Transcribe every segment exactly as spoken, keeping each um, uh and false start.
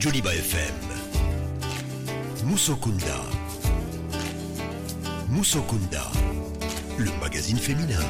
Joliba F M. Musokunda. Musokunda, le magazine féminin.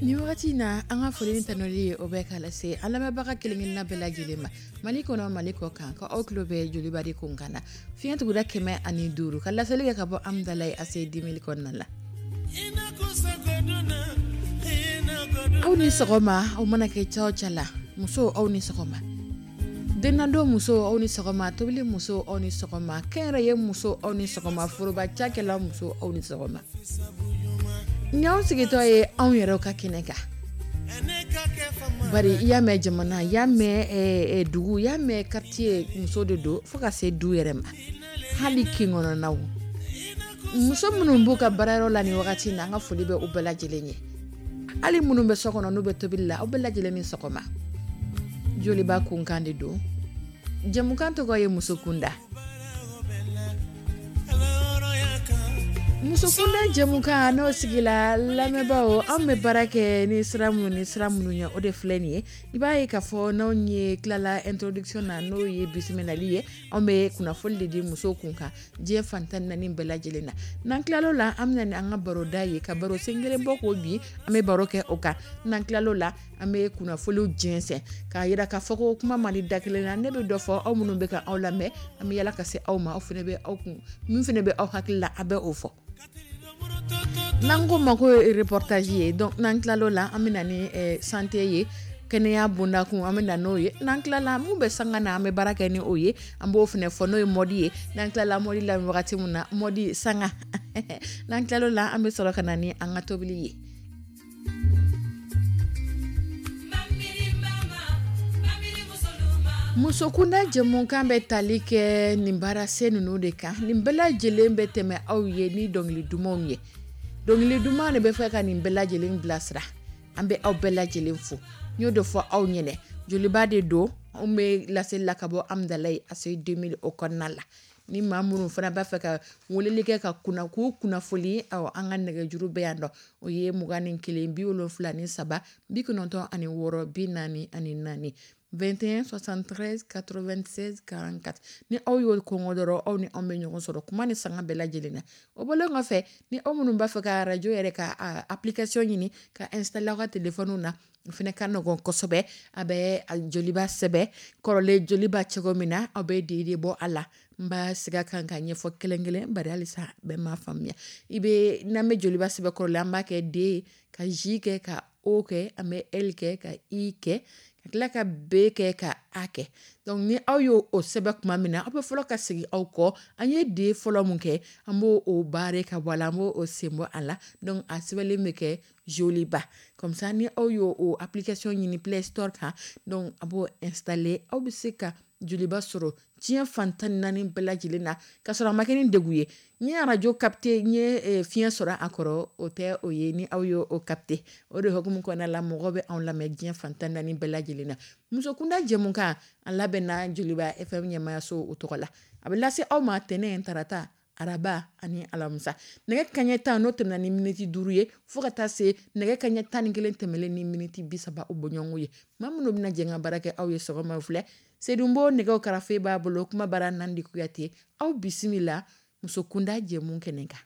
Ni wagati na, an ka foli ni tanuli ye, o bɛ k'a lase an lamɛnbaga kelen-kelenna bɛɛ lajɛlen ma, Mali kɔnɔ, Mali kɔ kan, ka aw tulo bɛ Joliba de kun kan na, fiɲɛ tuguda kɛmɛ ani duuru, ka laseli kɛ ka bɔ Amudalayi A C deux mille kɔnɔna la. Aw ni sɔgɔma. Aw mana kɛ ca o ca la, musow, aw ni sɔgɔma. Dennadon muso, aw ni sɔgɔma. Tobili muso, aw ni sɔgɔma. Kɛnyɛrɛye muso, aw ni sɔgɔma. Foroba cakɛla muso, aw ni sɔgɔma. Ni y'anw sigitɔ ye anw yɛrɛ ka kɛnɛ kan, bari i y'a mɛn jamana, i y'a mɛn dugu, i y'a mɛn quartier, muso de don, fo ka se du yɛrɛ ma, hali kin kɔnɔnaw. Muso minnu b'u ka baarayɔrɔ la nin wagati na, an ka foli bɛ u bɛɛ lajɛlen ye. Hali minnu bɛ so kɔnɔ, n'u bɛ tobili la, aw bɛɛ lajɛlen ni sɔgɔma. Joliba kunkan de don, jɛmukan tɔgɔ ye Muso Kunda. Musokunda jɛmukan n'o sigila, lamɛnbaaw, anw bɛ baara kɛ ni sira minnu ni sira minnu ye, o de filɛ nin ye. I b'a ye k'a fɔ n'anw ye tilala introduction na, n'o ye bisimilali ye, anw bɛ kunnafoni de di musow kun kan diɲɛ fan tan naani bɛɛ lajɛlen na. N'an tilal'o la, an bɛna ni an ka baroda ye, ka baro sen kelen bɔ k'o bi, an bɛ baro kɛ o kan. N'an tilal'o la, an bɛ kunnafoniw jɛnsɛn k'a yira k'a fɔ ko kuma man di da kelen na. Ne bɛ dɔ fɔ, aw minnu bɛ ka aw lamɛn, an bɛ yala ka se aw ma, aw fana bɛ aw kun min fana bɛ aw hakili la, a bɛ o fɔ, n'an ko ma ko reportage ye. Donc n'an tilal'o la, an bɛ na ni santé ye, kɛnɛya bondakun, an bɛ na n'o ye. N'an tilala, mun bɛ sanga na, an bɛ baara kɛ ni o ye, an b'o fana fɔ, n'o ye mode ye. N'an tilala mode la wagati min na, mode sanga, n'an tilal'o la, an bɛ sɔrɔ ka na ni an ka tobili ye. Musokunda jɛmukan bɛ tali kɛ nin baarasen ninnu de kan. Nin bɛɛ lajɛlen bɛ tɛmɛ aw ye ni dɔnkili dumanw ye. Dɔnkili duman de bɛ fɛ ka nin bɛɛ lajɛlen bilasira. An bɛ aw bɛɛ lajɛlen fo. N y'o de fɔ aw ɲɛnɛ, Joliba de don, anw bɛ laseli la ka bɔ Amudalayi A C deux mille o kɔnɔna la. Ni maa minnu fana b'a fɛ ka weleli kɛ ka kunna k'u kunnafoni, awɔ, an ka nɛgɛjuru bɛ yan nɔ, o ye mugan ni kelen bi wolonfila ni saba bi kɔnɔntɔn ani wɔɔrɔ bi naani ani naani, vingt et un soixante-treize quatre-vingt-seize quarante-quatre. Ni aw y'o kɔngɔ dɔrɔn, aw ni anw bɛ ɲɔgɔn sɔrɔ kuma ni sanga bɛɛ lajɛlen na. O bɔlen kɔfɛ, ni aw minnu b'a fɛ ka arajo yɛrɛ ka application ɲini ka installer aw ka téléphone na, o fana ka nɔgɔn kosɛbɛ. A bɛ Joliba sɛbɛn kɔrɔlen, Joliba cogo min na, aw bɛ D de bɔ a la. N b'a segin a kan ka ɲɛfɔ kelen kelen, bari halisa bɛɛ m'a faamuya. I bɛ n'an bɛ Joliba sɛbɛn kɔrɔlen, an b'a kɛ D ka J kɛ, ka O kɛ, an bɛ L kɛ, ka I kɛ, ka tila ka B kɛ, ka A kɛ. Donc ni aw y'o o sɛbɛn tuma min na, aw bɛ fɔlɔ ka segin aw kɔ. An ye D fɔlɔ mun kɛ, an b'o o barrer ka bɔ a la, an b'o o sen bɔ a la. Donc a sɛbɛnlen bɛ kɛ Joliba comme ça. Ni aw y'o o application ɲini Play Store kan, donc a b'o installer, aw bɛ se ka Joliba sɔrɔ diɲɛ fan tan ni naani bɛɛ lajɛlen na, k'a sɔrɔ a ma kɛ ni degun ye. N ye arajo capté, n ye fiɲɛ sɔrɔ a kɔrɔ, o tɛ o ye. Ni aw y'o o capté, o de hukumu kɔnɔna la, mɔgɔw bɛ anw lamɛn diɲɛ fan tan ni naani bɛɛ lajɛlen na. Musokunda jɛmukan, a labɛnna Joliba F M ɲɛmayaso o tɔgɔ la. A bɛ lase aw ma tɛnɛn, tarata, araba ani alamisa, nɛgɛ kaɲɛ tan n'o tɛmɛna ni miniti duuru ye, fo ka taa se nɛgɛ kaɲɛ tan ni kelen tɛmɛlen ni miniti bi saba o bɔɲɔgɔnko ye. Maa minnu bɛna jɛ ka baara kɛ aw ye sɔgɔma filɛ: Sedunbo, nɛgɛw karafe b'a bolo, kuma bara Nandi Kuyate. Aw bisimila Musokunda jɛmu kɛnɛ kan.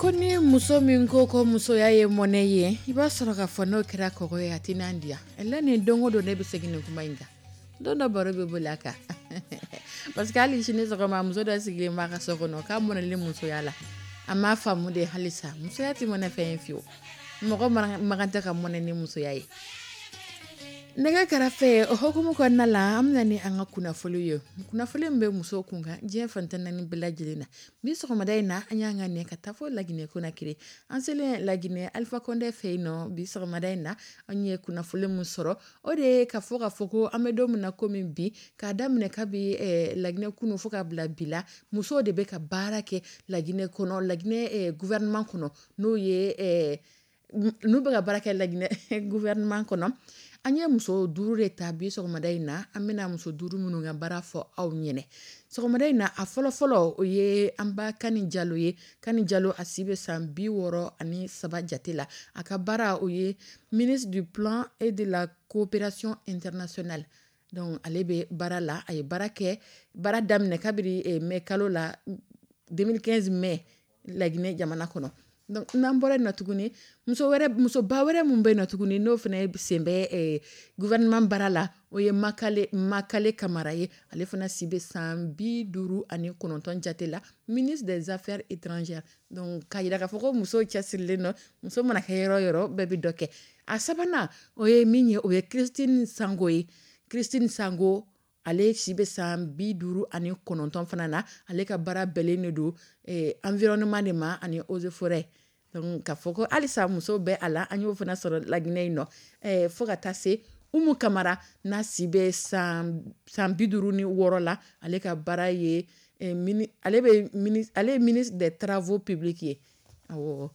Ko ni muso min ko ko musoya ye mɔnɛ ye, i b'a sɔrɔ k'a fɔ n'o kɛra kɔgɔ ye, a tɛna diya. La nin don o don ne bɛ segin nin kuma in kan. Don dɔ baro bɛ boli a kan, parce que hali sini sɔgɔma, muso dɔ sigilen b'a ka so kɔnɔ k'a mɔnɛlen musoya la. A m'a faamu de halisa, musoya tɛ mɔnɛ fɛn ye fiyewu. Mɔgɔ man tɛ ka mɔnɛ ni musoya ye. Nɛgɛ kɛrɛfɛ, o hukumu kɔnɔna la, an bɛna ni an ka kunnafoni ye, kunnafoni min bɛ muso kun kan diɲɛ fan tan naani bɛɛ lajɛlen na. Bi sɔgɔmada in na, an y'an ka ɲɛ ka taa fɔ Laginɛ Konakiri. An selen Laginɛ, Alifa Kɔndɛ fɛ yen nɔ, bi sɔgɔmada in na, an ye kunnafoni min sɔrɔ, o de ye ka fɔ ka fɔ ko an bɛ don min na komi bi, k'a daminɛ kabi Laginɛ kunu fo ka bila bi la, musow de bɛ ka baara kɛ Laginɛ kɔnɔ, Laginɛ gouvernement kɔnɔ, n'o ye n'u bɛ ka baara kɛ Laginɛ gouvernement kɔnɔ. An ye muso duuru de ta bi sɔgɔmada in na. An bɛna muso duuru minnu ka baara fɔ aw ɲɛnɛ sɔgɔmada in na, a fɔlɔfɔlɔ, o ye an ba Kani Jalo ye. Kani Jalo, a si bɛ san bi wɔɔrɔ ani saba jate la. A ka baara, o ye ministre du Plan et de la Coopération internationale. Donc ale bɛ baara la, a ye baara kɛ, baara daminɛ kabini mai kalo la, deux mille quinze mai, Laginɛ jamana kɔnɔ. Donc n'an bɔra yen nɔ tuguni, muso wɛrɛ, musoba wɛrɛ mun bɛ yen nɔ tuguni, n'o fana sen bɛ gouvernement baara la, o ye Makale Makale Kamara ye. Ale fana si bɛ san bi duuru ani kɔnɔntɔn jate la, ministre des Affaires étrangères. Donc k'a jira k'a fɔ ko musow cɛsirilen don. Muso mana kɛ yɔrɔ o yɔrɔ, bɛɛ bɛ dɔ kɛ. A sabanan, o ye min ye, o ye Christine Sango ye. Christine Sango, ale si bɛ san bi duuru ani kɔnɔntɔn fana na. Ale ka baara bɛnnen de don environnement de ma ani eaux et forêts. Donc k'a fɔ ko halisa muso bɛ a la, an y'o fana sɔrɔ Laginɛ yen nɔ. Fo ka taa se Umu Kamara, n'a si bɛ san san bi duuru ni wɔɔrɔ la. Ale ka baara ye, ale bɛ ale ye ministre des Travaux publics ye. Awɔ,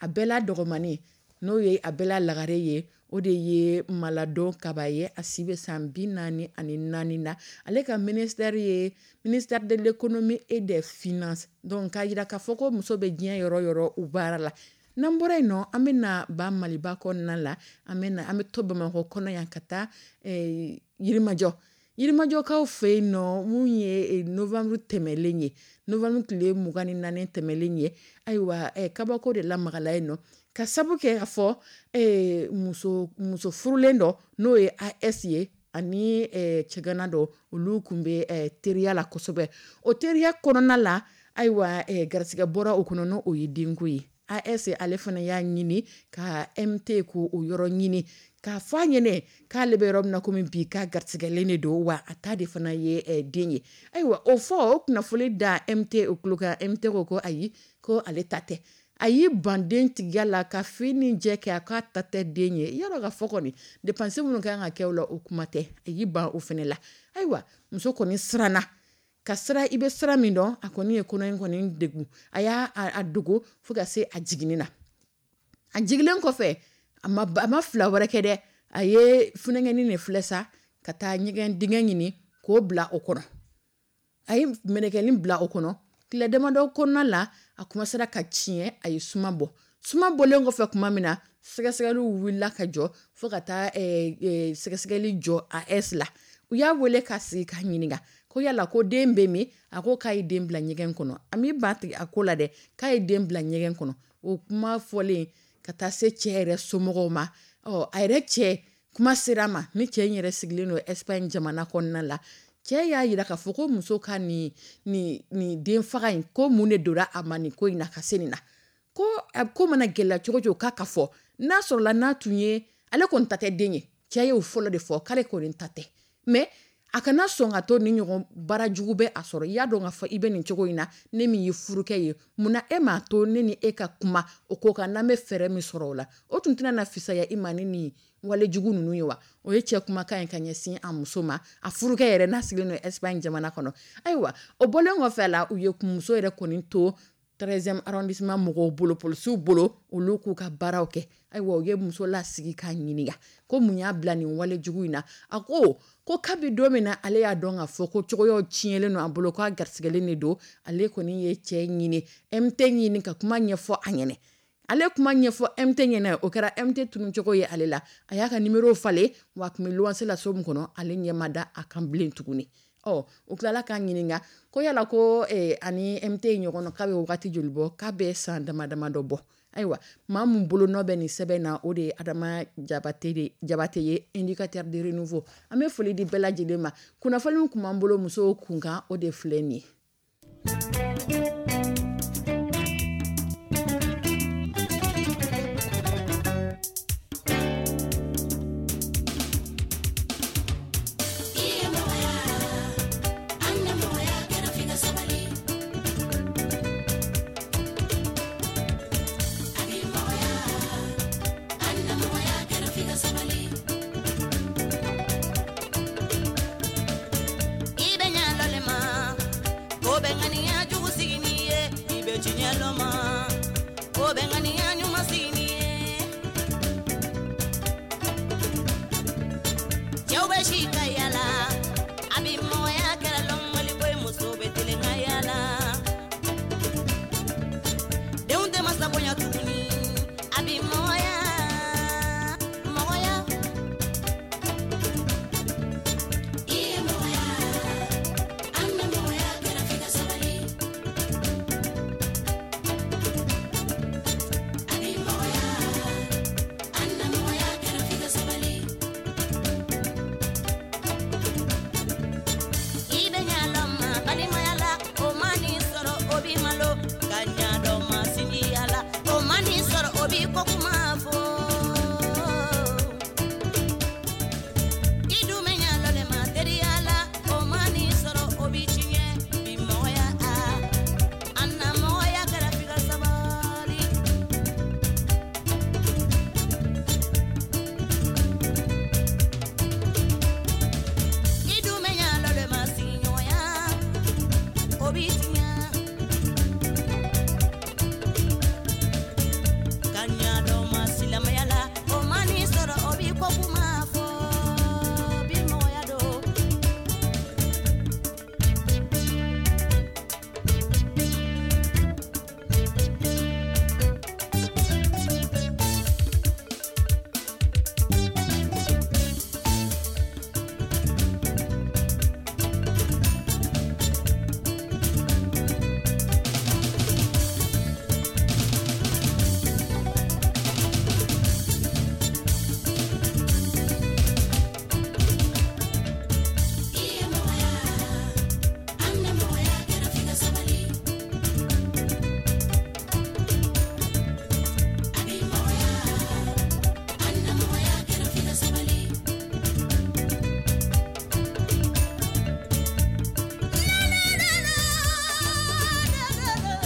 a bɛɛ la dɔgɔmani, n'o ye a bɛɛ la lagare ye, o de ye Maladon Kaba ye. A si bɛ san bi naani ani naani na. Ale ka ministère ye ministère de l'Économie et des Finances. Donc k'a jira k'a fɔ ko muso bɛ diɲɛ yɔrɔ o yɔrɔ, u baara la. N'an bɔra yen nɔ, an bɛ na ba Maliba kɔnɔna la. An bɛ na, an bɛ to Bamakɔ kɔnɔ yan ka taa Yirimajɔ. Yirimajɔkaw fɛ yen nɔ, mun ye novembre tɛmɛlen ye, novembre tile mugan ni naani tɛmɛlen ye, ayiwa, kabako de lamagala yen nɔ, ka sabu kɛ ka fɔ muso muso furulen dɔ, n'o ye A S ye, ani cɛgana dɔ, olu tun bɛ teriya la kosɛbɛ. O teriya kɔnɔna la, ayiwa, garisɛgɛ bɔra o kɔnɔ, n'o ye denko ye. A S, ale fana y'a ɲini ka M T ko o yɔrɔ ɲini k'a fɔ a ɲɛnɛ k'ale bɛ yɔrɔ min na komi bi, k'a garisɛgɛlen de don, wa a ta de fana ye den ye. Ayiwa, o fɔ, o kunnafoni da M T o tulo kan, M T ko ko ayi, ko ale ta tɛ. A y'i ban den tigiya la ka fin ni jɛ kɛ, a k'a ta tɛ den ye. Yɔrɔ ka fɔ kɔni, dépense minnu kan ka kɛ o la, o kuma tɛ, a y'i ban o fana la. Ayiwa, muso kɔni siranna ka sira, i bɛ sira min dɔn, a kɔni ye kɔnɔ in kɔni degun, a y'a a dogo fo ka se a jiginni na. A jiginlen kɔfɛ, a ma a ma fila wɛrɛ kɛ dɛ, a ye funɛngɛnin de filɛ sa, ka taa ɲɛgɛn dingɛ ɲini k'o bila o kɔnɔ. A ye mɛnɛkɛnin bila o kɔnɔ. Tile damadɔ kɔnɔna la, a commencera ka tiɲɛ, a ye suma bɔ. Suma bɔlen kɔfɛ tuma min na, sɛgɛsɛgɛliw wulila ka jɔ fo ka taa sɛgɛsɛgɛli jɔ A S la. U y'a wele ka sigi k'a ɲininka ko yala ko den bɛ min? A ko k'a ye den bila ɲɛgɛn kɔnɔ. A m'i ban tigɛ a ko la dɛ, k'a ye den bila ɲɛgɛn kɔnɔ. O kuma fɔlen ka taa se cɛ yɛrɛ somɔgɔw ma, ɔ a yɛrɛ cɛ kuma sera a ma, ni cɛ in yɛrɛ sigilen don Espagne jamana kɔnɔna la. Cɛ y'a jira k'a fɔ ko muso ka nin nin nin den faga in, ko mun de donna a ma nin ko in na ka se nin na? Ko a ko mana gɛlɛya cogo cogo, k'a ka fɔ n'a sɔrɔla n'a tun ye, ale kɔni ta tɛ den ye. Cɛ y'o fɔlɔ de fɔ, k'ale kɔni ta tɛ, mais a kana sɔn ka to ni ɲɔgɔn baara jugu bɛ a sɔrɔ. I y'a dɔn k'a fɔ i bɛ nin cogo in na, ne min ye furukɛ ye, munna e m'a to ne ni e ka kuma o ko kan, n'an bɛ fɛɛrɛ min sɔrɔ o la, o tun tɛna na fisaya i ma ni nin walejugu ninnu ye wa? O ye cɛ kumakan ye ka ɲɛsin a muso ma, a furukɛ yɛrɛ n'a sigilen don Espagne jamana kɔnɔ. Ayiwa, o bɔlen kɔfɛ a la, u ye muso yɛrɛ kɔni to treizième arrondissement mɔgɔw bolo, polisiw bolo, olu k'u ka baaraw kɛ. Ayiwa, u ye muso lasigi k'a ɲininka ko mun y'a bila nin wale jugu in na. A ko ko kabi don min na ale y'a dɔn k'a fɔ ko cogoyaw tiɲɛlen don a bolo, k'a garisigɛlen de don, ale kɔni ye cɛ ɲini, M T ɲini ka kuma ɲɛfɔ a ɲɛnɛ. Ale kuma ɲɛfɔ M T ɲɛnɛ, o kɛra M T tununcogo ye ale la. A y'a ka numéro falen, wa a tun bɛ luwanse la so min kɔnɔ, ale ɲɛ ma da a kan bilen tuguni. Ɔ u tilala k'a ɲininka ko yala ko eh, ani M T ɲɔgɔn k'a bɛ wagati joli bɔ? K'a bɛ san dama dama dɔ bɔ. Ayiwa, maa min bolonɔ bɛ nin sɛbɛn na, o de ye Adama Jabate de Jabate ye, indicateur de renouveau. An bɛ foli di bɛɛ lajɛlen ma. Kunnafoni kun b'an bolo musow kunkan, o de filɛ nin ye.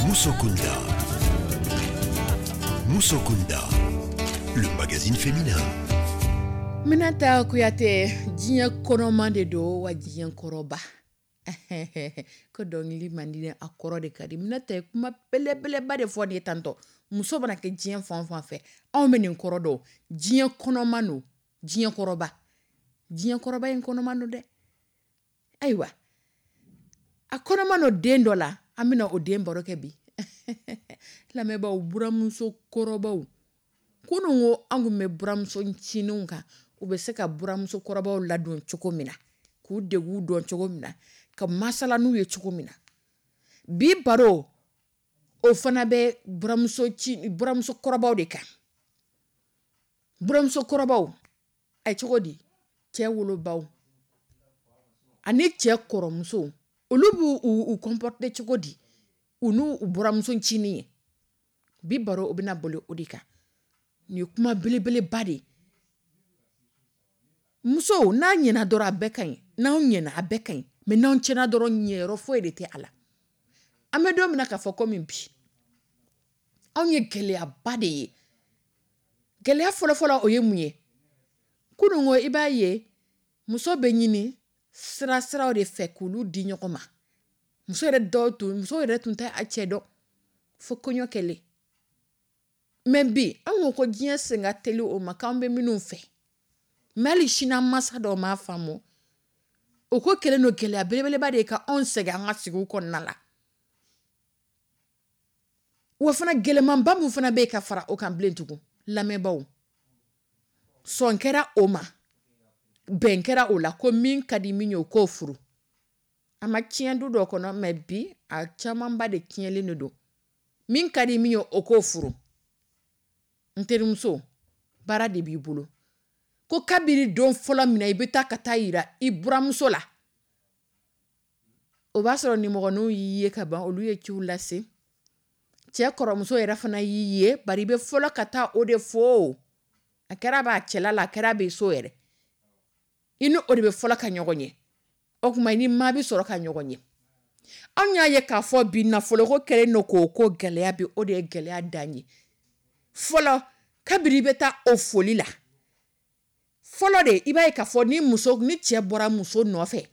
Musokunda. Musokunda, le magazine féminin. Minata Kuyate, diɲɛ kɔnɔman de don wa diɲɛ kɔrɔba ko dɔnkili man di, a kɔrɔ de ka di. Minata ye kuma belebeleba de fɔ nin ye tantɔ. Muso mana kɛ diɲɛ fan o fan fɛ, anw bɛ nin kɔrɔ dɔn: diɲɛ kɔnɔman don, diɲɛ kɔrɔba. Diɲɛ kɔrɔba in kɔnɔman don dɛ. Ayiwa, a kɔnɔman don den dɔ la, an bɛna o den baro kɛ bi. Lamɛnbaaw, buramuso kɔrɔbaw, kunun ko an kun bɛ buramuso ncininw kan, u bɛ se ka buramuso kɔrɔbaw ladon cogo min na, k'u deguw dɔn cogo min na, ka masala n'u ye cogo min na. Bi baro o fana bɛ buramuso ci buramuso kɔrɔbaw de kan. Buramuso kɔrɔbaw ɛ, cogo di cɛ wolobaw ani cɛ kɔrɔmusow, olu b'u u u comporter cogo di u n'u buramuso ncinin ye? Bi baro o bɛna boli o de kan. Nin ye kuma belebeleba de ye. Muso n'a ɲɛna dɔrɔn, a bɛɛ ka ɲi. N'anw ɲɛna, a bɛɛ ka ɲi, mais n'anw tiɲɛna dɔrɔn, ɲɛyɔrɔ foyi de tɛ a la. An bɛ don min na k'a fɔ komi bi, anw ye gɛlɛyaba de ye. Gɛlɛya fɔlɔfɔlɔ, o ye mun ye? Kunun ko i b'a ye muso bɛ ɲini sira siraw de fɛ k'olu di ɲɔgɔn ma. Muso yɛrɛ dɔw tun, muso yɛrɛ tun tɛ a cɛ dɔn fo kɔɲɔ kɛlen. Mais bi, anw ko ko diɲɛ sen ka teli o ma, k'an bɛ minnu fɛ, mais hali sini an mansa dɔw m'a faamu. O ko kɛlen don gɛlɛya belebeleba de ye ka anw sɛgɛn an ka sigiw kɔnɔna la. Wa fana, gɛlɛmanba min fana bɛ yen ka fara o kan bilen tugun, lamɛnbaaw, sɔn kɛra o ma, bɛn kɛra o la ko min ka di min ye, o k'o furu. A ma tiɲɛ du dɔ kɔnɔ, mais bi a camanba de tiɲɛlen de don. Min ka di min ye, o k'o furu. N terimuso, baara de b'i bolo ko kabini don fɔlɔ min na i bɛ taa ka taa yira i buramuso la, o b'a sɔrɔ nimɔgɔninw y'i ye ka ban, olu ye ciw lase. Cɛ kɔrɔmuso yɛrɛ fana y'i ye, bari i bɛ fɔlɔ ka taa o de fo. A kɛra b'a cɛla la, a kɛra bɛ so yɛrɛ, i ni o de bɛ fɔlɔ ka ɲɔgɔn ye. O tuma i ni maa bɛ sɔrɔ ka ɲɔgɔn ye. Anw y'a ye k'a fɔ bi nafoloko kɛlen don k'o ko gɛlɛya bi, o de ye gɛlɛya dan ye. Fɔlɔ, kabini i bɛ taa o foli la fɔlɔ de, i b'a ye k'a fɔ ni muso ni cɛ bɔra muso nɔfɛ,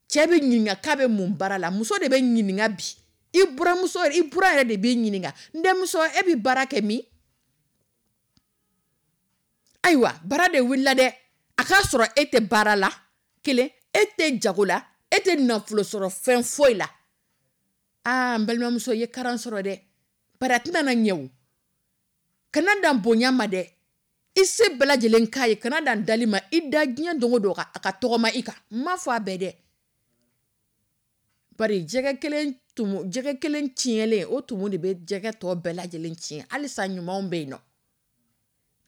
cɛ bɛ ɲininka k'a bɛ mun baara la. Muso de bɛ ɲininka bi. I buramuso, i buran yɛrɛ de b'i ɲininka: n denmuso, e bɛ baara kɛ min? Ayiwa, baara de wulila dɛ. A k'a sɔrɔ e tɛ baara la, kelen, e tɛ jago la, e tɛ nafolo sɔrɔ fɛn foyi la. Aa, n balimamuso, i ye karan sɔrɔ dɛ, bari a tɛna na ɲɛ o. Kana dan bonya ma dɛ, i se bɛɛ lajɛlen k'a ye. Kana dan dali ma, i da diɲɛ don o don a ka tɔgɔma i kan. N m'a fɔ a bɛɛ dɛ, bari jɛgɛ kelen tumu, jɛgɛ kelen tiɲɛlen, o tumu de bɛ jɛgɛ tɔ bɛɛ lajɛlen tiɲɛ. Halisa ɲumanw bɛ yen nɔ.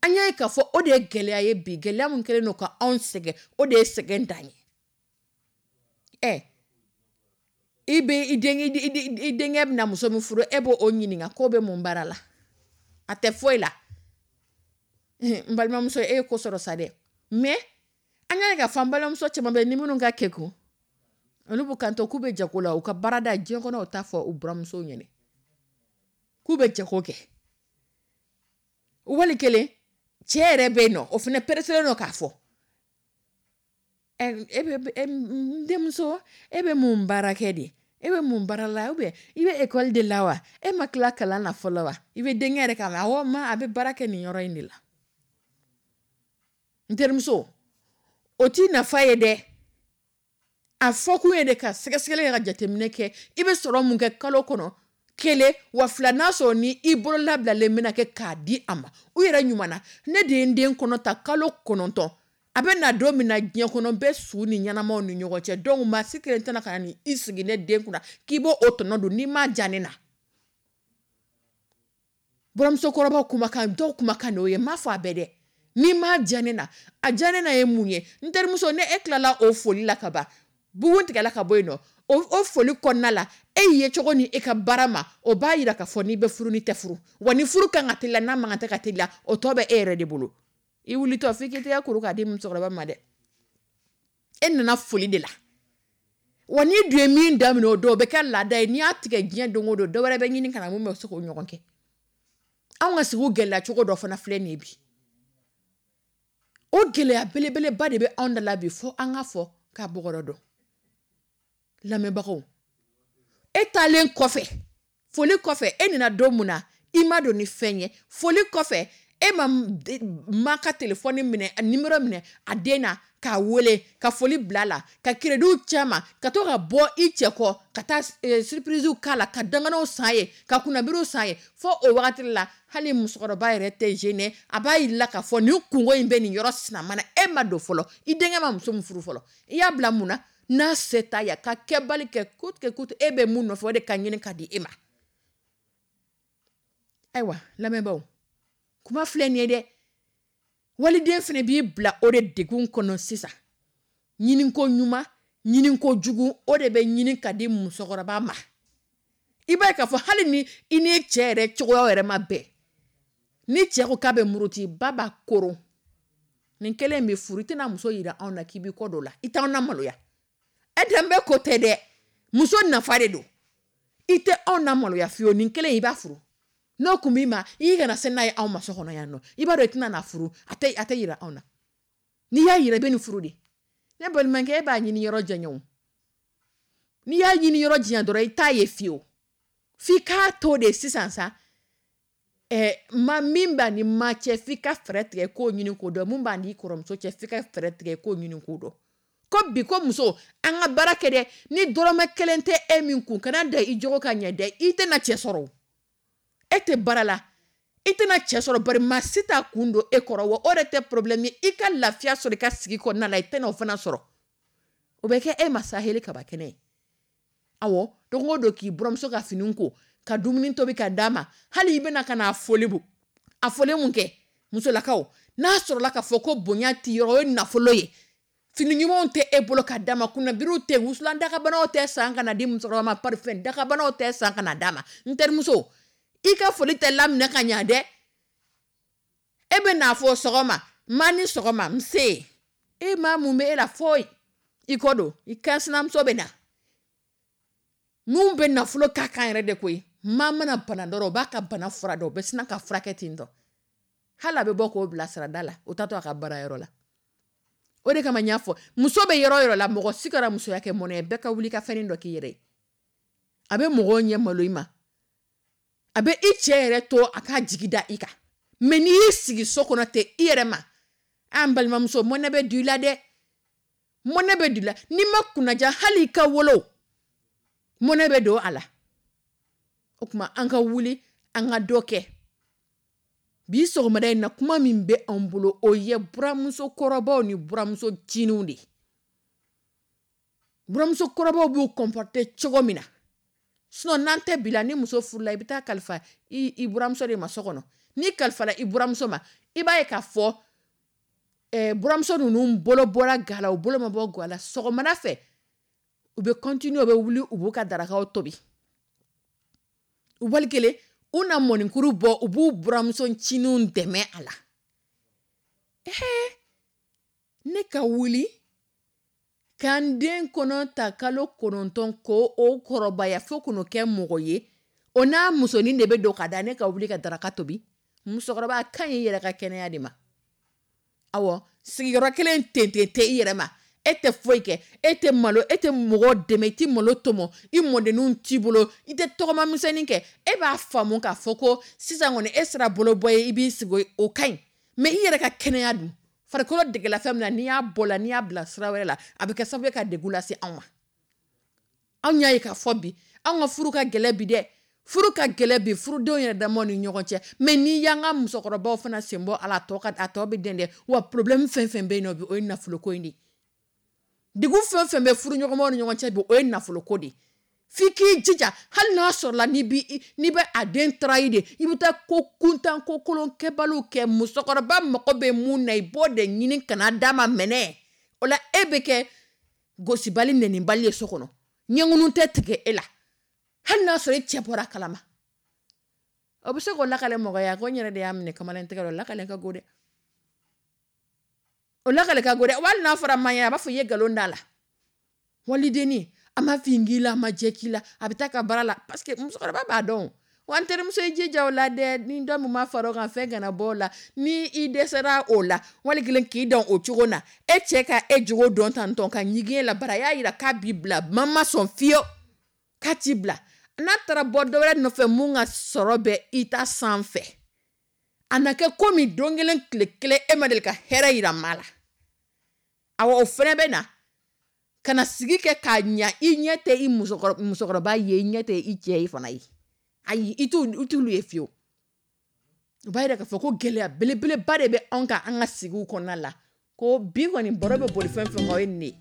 An y'a ye k'a fɔ o de ye gɛlɛya ye bi. Gɛlɛya min kɛlen don ka anw sɛgɛn, o de ye sɛgɛn dan ye. Ɛ, i bɛ i den i denkɛ bɛna muso min furu, e b'o o ɲininka k'o bɛ mun baara la? A tɛ foyi la. N balimamuso, e ye ko sɔrɔ sa dɛ. Mais an y'a ye k'a fɔ an balimamuso caman bɛ ni minnu ka kekun, olu b'u kanto k'u bɛ jago la. U ka baarada diɲɛ kɔnɔ, u t'a fɔ u buramusow ɲɛnɛ k'u bɛ jago kɛ. Wali kelen, cɛ yɛrɛ bɛ yen nɔ, o fana pereselen don k'a fɔ: e bɛ n denmuso, e bɛ mun baara kɛ de? E bɛ mun baara la? Ou bien i bɛ ekɔli de la wa? E ma tila kalan na fɔlɔ wa? I bɛ denkɛ yɛrɛ k'a mɛn: awɔ ma, a bɛ baara kɛ nin yɔrɔ in de la. N terimuso, o t'i nafa ye dɛ. A fɔkun ye de ka sɛgɛsɛgɛli kɛ, ka jateminɛ kɛ, i bɛ sɔrɔ mun kɛ kalo kɔnɔ, kelen wa fila, n'a sɔrɔ ni i bolo labilalen bɛna kɛ k'a di a ma. U yɛrɛ ɲuman na, ne de ye n den kɔnɔ ta kalo kɔnɔntɔn, a bɛ na don min na diɲɛ kɔnɔ, bɛ su ni ɲɛnamaw ni ɲɔgɔn cɛ. Donc maa si kelen tɛna ka na i sigi ne den kunna k'i b'o o tɔnɔ dun n'i m'a diya ne na. Buramusokɔrɔbaw kumakan, dɔw kumakan de y'o ye. N m'a fɔ a bɛɛ dɛ. N'i m'a diya ne na, a diya ne na ye mun ye? N terimuso, ne e tilala o foli la ka ban, bugun tigɛla ka bɔ yen nɔ, o foli kɔnɔna la, e ye cogo ni e ka baara ma, o b'a yira k'a fɔ n'i bɛ furu, n'i tɛ furu wa, ni furu kan ka teliya, n'a man kan tɛ ka teliya, o tɔ bɛ e yɛrɛ de bolo. I wulitɔ f'i k'i tɛgɛ kuru k'a di musokɔrɔba ma dɛ. E nana foli de la wa, n'i dun ye min daminɛ o don, o bɛ kɛ laada ye. N'i y'a tigɛ diɲɛ don o don, dɔ wɛrɛ bɛ ɲini ka na mun bɛ se k'o ɲɔgɔn kɛ. Anw ka sigi gɛlɛya cogo dɔ fana filɛ nin ye bi. O gɛlɛya belebeleba de bɛ anw da la bi, fo an ka fɔ k'a bɔgɔrɔ dɔn. Lamɛnbagaw, e taalen kɔfɛ, foli kɔfɛ, e nana don mun na, i ma don ni fɛn ye. Foli kɔfɛ, e ma ma ka telefɔni minɛ, a nimero minɛ a den na k'a wele ka foli bila a la, ka crédit caman ka to ka bɔ i cɛ kɔ ka taa surprise k'a la, ka danganaw san ye, ka kunnabiriw san ye. Fo o wagati la, hali musokɔrɔba yɛrɛ tɛ gêné. A b'a yir'i la k'a fɔ nin kungo in bɛ nin yɔrɔ sinama na. E ma don fɔlɔ, i denkɛ ma muso min furu fɔlɔ, i y'a bila mun na? N'a se t'a ye, ka kɛbali kɛ coûte que coûte, e bɛ mun nɔfɛ, o de ka ɲini ka di e ma. Ayiwa lamɛnbaaw, kuma filɛ nin ye dɛ. Waliden fana b'i bila o de degun kɔnɔ sisan. Ɲiniko ɲuman, ɲiniko jugu, o de bɛ ɲini ka di musokɔrɔba ma. I b'a ye k'a fɔ hali ni i ni cɛ yɛrɛ cogoya yɛrɛ ma bɛn, ni cɛ ko k'a bɛ muruti, ba b'a koron. Nin kelen bɛ furu, i tɛna muso yira anw na k'i b'i kɔ don la, i t'anw maloya. E danbe ko tɛ dɛ, muso nafa de don. I tɛ anw na maloya fiyewu. Nin kelen i b'a furu, n'o kun b'i ma, i kana se n'a ye anw ma so kɔnɔ yan nɔ. I b'a dɔn i tɛna n'a furu, a tɛ a tɛ yira anw na. N'i y'a yira, i bɛ nin furu de. Ne balimakɛ, e b'a ɲini yɔrɔ janya o. N'i y'a ɲini yɔrɔ janya dɔrɔn, i t'a ye fiyewu. F'i k'a to de sisan sa. Ɛ, ma min b'a ni ma cɛ, f'i ka fɛɛrɛ tigɛ k'o ɲini k'o dɔn. Mun b'a n'i kɔrɔmuso cɛ, f'i ka fɛɛrɛ tigɛ k'o ɲini k'o dɔn. Ko bi ko muso, an ka baara kɛ dɛ. Ni dɔrɔmɛ kelen tɛ e min kun, kana da i jogo ka ɲɛ dɛ, i tɛna cɛ sɔrɔ. E tɛ baara la, i tɛna cɛ sɔrɔ, bari maa si t'a kun don e kɔrɔ wa. O de tɛ problème ye. I ka lafiya sɔrɔ i ka sigi kɔnɔna la, i tɛna o fana sɔrɔ. O bɛ kɛ e ma saheli kaba kɛnɛ ye. Awɔ, don o don k'i buramuso ka fini ko, ka dumuni tobi ka d'a ma, hali i bɛna ka n'a foli bu a foli mun kɛ. Musolakaw, n'a sɔrɔla k'a fɔ ko bonya t'i yɔrɔ, o ye nafolo ye, fini ɲumanw tɛ e bolo ka d'a ma, kunnabiriw tɛ, wusulan dakabanaw tɛ san ka na di musokɔrɔba ma, parfum dakabanaw tɛ san ka na d'a ma. N terimuso, i ka foli tɛ laminɛ ka ɲa dɛ. E bɛ n'a fɔ sɔgɔma, ma ni sɔgɔma, nse, e maa mun bɛ e la foyi, i kɔ don i kan sinamuso bɛ na. Mun bɛ nafolo k'a kan yɛrɛ de koyi. Maa mana bana dɔrɔn, o b'a ka bana fura dɔn, o bɛ sina ka furakɛ ten tɔ, hali a bɛ bɔ k'o bila sirada la, o tatɔ a ka baarayɔrɔ la. O de kama n y'a fɔ, muso bɛ yɔrɔ o yɔrɔ la, mɔgɔ si kana musoya kɛ mɔnɛ ye. Bɛɛ ka wuli ka fɛnnin dɔ k'i yɛrɛ ye. A bɛ mɔgɔw ɲɛ malo i ma, a bɛ i cɛ yɛrɛ to a k'a jigi da i kan. Mɛ n'i y'i sigi so kɔnɔ ten i yɛrɛ ma, an balimamuso, mɔnɛ bɛ don i la dɛ, mɔnɛ bɛ don i la. N'i ma kunnaja, hali i ka wolo, mɔnɛ bɛ don a la. O tuma an ka wuli, an ka dɔ kɛ. Bi sɔgɔmada in na, kuma min bɛ anw bolo, o ye buramuso kɔrɔbaw ni buramuso ncininw de ye. Buramuso kɔrɔbaw b'u comporter cogo min na, sinon n'an tɛ bi la, ni muso furula, i bɛ taa kalifa i i buramuso de ma so kɔnɔ. N'i kalifala i buramuso ma, i b'a ye k'a fɔ ɛɛ buramuso ninnu bolo bɔra ga la, u bolo ma bɔ ga la. Sɔgɔmada fɛ, u bɛ continuer, u bɛ wuli, u b'u ka darakaw tobi. Wali kelen, u na mɔnikuru bɔ, u b'u buramuso ncininw dɛmɛ a la. Ɛɛ ne ka wuli k'an den kɔnɔ ta kalo kɔnɔntɔn ko o kɔrɔbaya fo k'o kɛ mɔgɔ ye, o n'a musonin de bɛ don ka da ne ka wuli ka daraka tobi. Musokɔrɔba ka ɲi i yɛrɛ ka kɛnɛya de ma. Awɔ, sigiyɔrɔ kelen ten ten tɛ i yɛrɛ ma. E tɛ foyi kɛ, e tɛ malo, e tɛ mɔgɔ dɛmɛ, i tɛ malo tɔmɔ, i mɔdenninw t'i bolo, i tɛ tɔgɔma misɛnnin kɛ. E b'a faamu k'a fɔ ko sisan kɔni e sera bolobɔ ye, i b'i sigi, o ka ɲi. Mɛ i yɛrɛ ka kɛnɛya dun, farikolo degela fɛn min na, n'i y'a bɔ la, n'i y'a bila sira wɛrɛ la, a bɛ kɛ sababu ye ka degun lase anw ma. Anw y'a ye k'a fɔ bi, anw ka furu ka gɛlɛn bi dɛ, furu ka gɛlɛn bi, furudenw yɛrɛ damaw ni ɲɔgɔn cɛ. Mɛ n'i y'an ka musokɔrɔbaw fana sen bɔ a la, a tɔ ka a tɔ bɛ den dɛ. Wa problème fɛn fɛn bɛ yen nɔ bi, o ye nafoloko in de ye. Degun fɛn fɛn bɛ furuɲɔgɔnmaw ni ɲɔgɔn cɛ bi, o ye nafoloko de ye. F'i k'i jija, hali n'a sɔrɔla n'i bi n'i bɛ a den trahir de, i bɛ taa ko kuntan, ko kolon kɛbaliw kɛ. Musokɔrɔba mago bɛ mun na, i b'o de ɲini ka na d'a ma mɛnɛ. O la, e bɛ kɛ gosibali, nɛnibali ye so kɔnɔ, ɲɛŋunu tɛ tigɛ e la, hali n'a sɔrɔ e cɛ bɔra a kalama. O bɛ se k'o lakale mɔgɔ ye, a ko n yɛrɛ de y'a minɛ kamalen tɛgɛ la. O lakale ka go dɛ, o lakale ka go dɛ. Wali n'a fɔra ma ɲɛ, a b'a fɔ i ye nkalon da la. Walidenni, a ma fin k'i la, a ma jɛ k'i la, a bɛ taa ka baara la, parce que musokɔrɔba b'a dɔn. Wa n terimuso, i jija o la dɛ. Ni dɔ min ma fara o kan, fɛn kana bɔ o la. Ni i dɛsɛra o la, wali kelen k'i dan o cogo na, e cɛ ka e jogo dɔn tantɔn ka ɲigin e la, bara a y'a yira k'a b'i bila, ma ma sɔn fiyewu k'a t'i bila. N'a taara bɔ dɔ wɛrɛ nɔfɛ mun ka sɔrɔ bɛ i ta sanfɛ, a na kɛ komi don kelen tile kelen e ma deli ka hɛrɛ yira maa la. Awɔ, o fɛnɛ bɛ na ka na sigi kɛ k'a ɲa. I ɲɛ tɛ i musokɔrɔba ye, i ɲɛ tɛ i cɛ ye fana ye. Ayi, i t'olu ye fiyewu. O b'a yira k'a fɔ ko gɛlɛya belebeleba de bɛ anw kan an ka sigiw kɔnɔna la. Ko bi kɔni baro bɛ boli fɛn fɛn kan, o ye nin de ye.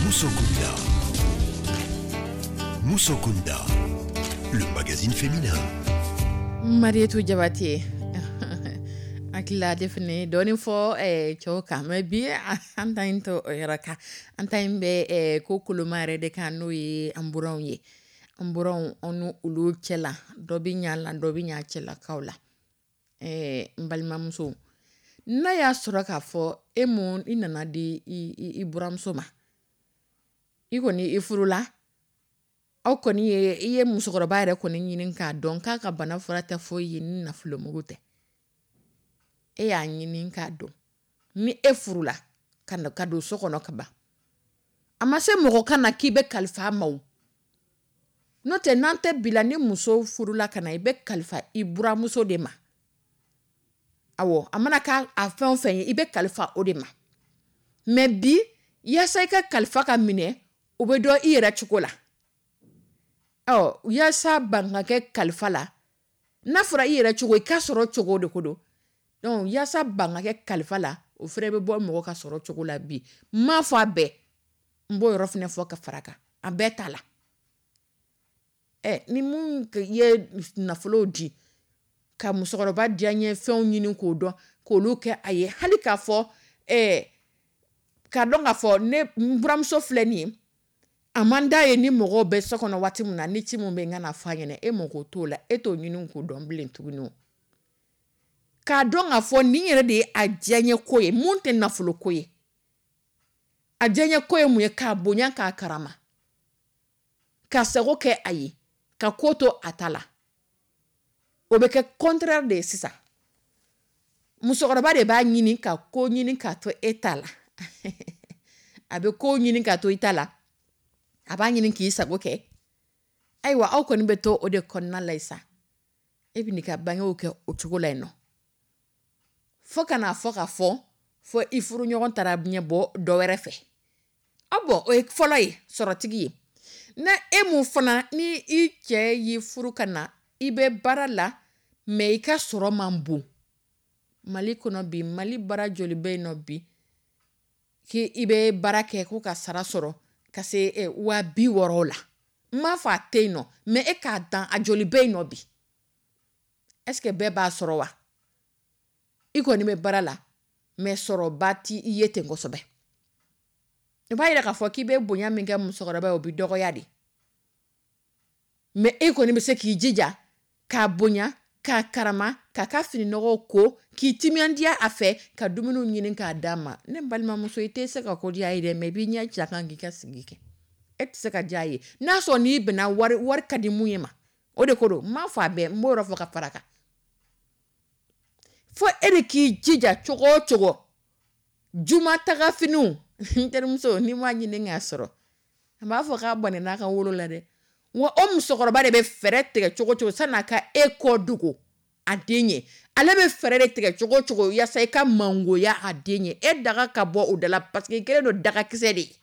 Musokunda. Musokunda, le magazine féminin. Marietou Diabaté hakili la ale fana ye dɔɔnin fɔ eh, cɛw kan, mais bi an ta in tɛ o yɔrɔ kan. An ta in bɛ eh, ko koloma yɛrɛ de kan, n'o ye an buranw ye. An buranw, an ni olu cɛla, dɔ bɛ ɲa la, dɔ bɛ ɲa cɛlakaw la. eh, n balimamuso, n'a y'a sɔrɔ k'a fɔ e mun i nana di i, i, i buramuso ma, i kɔni i furula, aw kɔni ye i ye musokɔrɔba yɛrɛ kɔni ɲini k'a dɔn k'a ka bana fura tɛ foyi ye ni nafolomugu tɛ. E y'a ɲini k'a dɔn ni e furula ka na ka don so kɔnɔ ka ban, a ma se mɔgɔ ka na k'i bɛ kalifa a ma o. N'o tɛ, n'an tɛ bi la, ni muso furula ka na, i bɛ kalifa i buramuso de ma. Awɔ, a mana k'a a fɛn o fɛn ye, i bɛ kalifa o de ma. Mais bi, yaasa i ka kalifa ka minɛ, o bɛ dɔn i yɛrɛ cogo la. Ɔ yaasa ban ka kɛ kalifa la, n'a fɔra i yɛrɛ cogo, i ka sɔrɔ cogo de ko don. Donc yaasa ban ka kɛ kalifa la, o fɛnɛ bɛ bɔ mɔgɔ ka sɔrɔ cogo la bi. N m'a fɔ a bɛɛ, n b'o yɔrɔ fɛnɛ fɔ ka fara kan, a bɛɛ t'a la. Ɛ ni mun ye nafolo di ka musokɔrɔba diyaɲɛ fɛnw ɲini k'o dɔn k'olu kɛ a ye, hali k'a fɔ ɛɛ k'a dɔn k'a fɔ ne n buramuso filɛ nin ye, a man d'a ye ni mɔgɔw bɛ so kɔnɔ waati min na, ni ci min bɛ n ka na fɔ a ɲɛna, e mako t'o la, e t'o ɲini k'o dɔn bilen tuguni o. K'a dɔn k'a fɔ nin yɛrɛ de ye a diyaɲɛ ko ye, mun tɛ nafolo ko ye. A diyaɲɛ ko ye mun ye? K'a bonya, k'a karama, ka sago kɛ a ye, ka ko to a ta la. O bɛ kɛ contraire de ye sisan. Musokɔrɔba de b'a ɲini ka ko ɲini k'a to e ta la. A bɛ ko ɲini k'a to i ta la, a b'a ɲini k'i sago kɛ. Ayiwa, aw kɔni bɛ to o de kɔnɔna la sa, e bɛ n'i ka bangew kɛ o cogo la yen nɔ, fo ka n'a fɔ ka fɔ fo i furuɲɔgɔn taara ɲɛ bɔ dɔ wɛrɛ fɛ. Aw bɔn, o ye fɔlɔ ye, sɔrɔtigi ye. Na e mun fana ni i cɛ y'i furu ka na, i bɛ baara la, mais i ka sɔrɔ man bon. Mali kɔnɔ bi, Mali baara joli bɛ yen nɔ bi k'i bɛ baara kɛ ko ka sara sɔrɔ ka se waa bi wɔɔrɔ la? N m'a fɔ a tɛ yen nɔ, mais e k'a dan, a joli bɛ yen nɔ bi? Est ce que bɛɛ b'a sɔrɔ wa? I kɔni bɛ baara la, mais sɔrɔba ti i ye ten kosɛbɛ. I b'a yira k'a fɔ k'i bɛ bonya min kɛ musokɔrɔba ye, o bɛ dɔgɔya de. Mais e kɔni bɛ se k'i jija k'a bonya, k'a karama, k'a ka fininɔgɔw ko, k'i timinandiya a fɛ, ka dumuniw ɲini k'a d'a ma. Ne balimamuso, i tɛ se ka ko diya ye dɛ, mais i b'i ɲɛ ci a kan k'i ka sigi kɛ. E tɛ se ka diya ye n'a sɔrɔ n'i bɛnna wari, wari ka di mun ye ma, o de ko don. N m'a fɔ a bɛɛ, n b'o yɔrɔ fɔ ka fara kan. Fo e de k'i jija cogo o cogo. Juma taga finiw, n terimuso, n'i m'a ɲini k'a sɔrɔ, a b'a fɔ k'a bɔnɛ n'a ka wolo la dɛ. Wa o musokɔrɔba de bɛ fɛɛrɛ tigɛ cogo cogo san'a ka e kɔ dogo a den ye. Ale bɛ fɛɛrɛ de tigɛ cogo cogo yaasa i ka mangoya a den ye, e daga ka bɔ o da la, parce que i kɛlen don dagakisɛ de ye.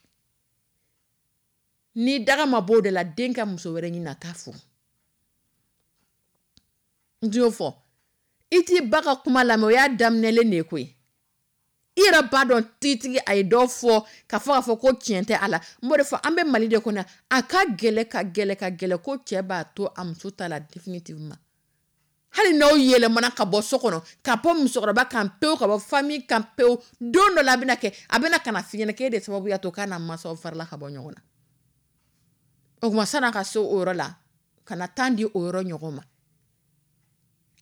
Ni daga ma bɔ o da la, den ka muso wɛrɛ ɲini a t'a furu. N t'o fɔ, i t'i ba ka kuma lamɛn, o y'a daminɛlen de ye koyi. I yɛrɛ b'a dɔn tigitigi a ye dɔ fɔ ka fɔ k'a fɔ ko tiɲɛ tɛ a la. N b'o de fɔ, an bɛ Mali de kɔnɔ, a ka gɛlɛ ka gɛlɛ ka gɛlɛ ko cɛ b'a to a muso ta la définitivement. Hali n'aw yɛlɛmana ka bɔ so kɔnɔ, ka bɔ musokɔrɔba kan pewu, ka bɔ famille kan pewu, don dɔ la a bɛna kɛ, a bɛna ka na f'i ɲɛna k'e de sababu y'a to k'a n'a mansaw farala ka bɔ ɲɔgɔn na. O tuma, san'a ka se o yɔrɔ la, ka na tan di o yɔrɔ ɲɔgɔn ma.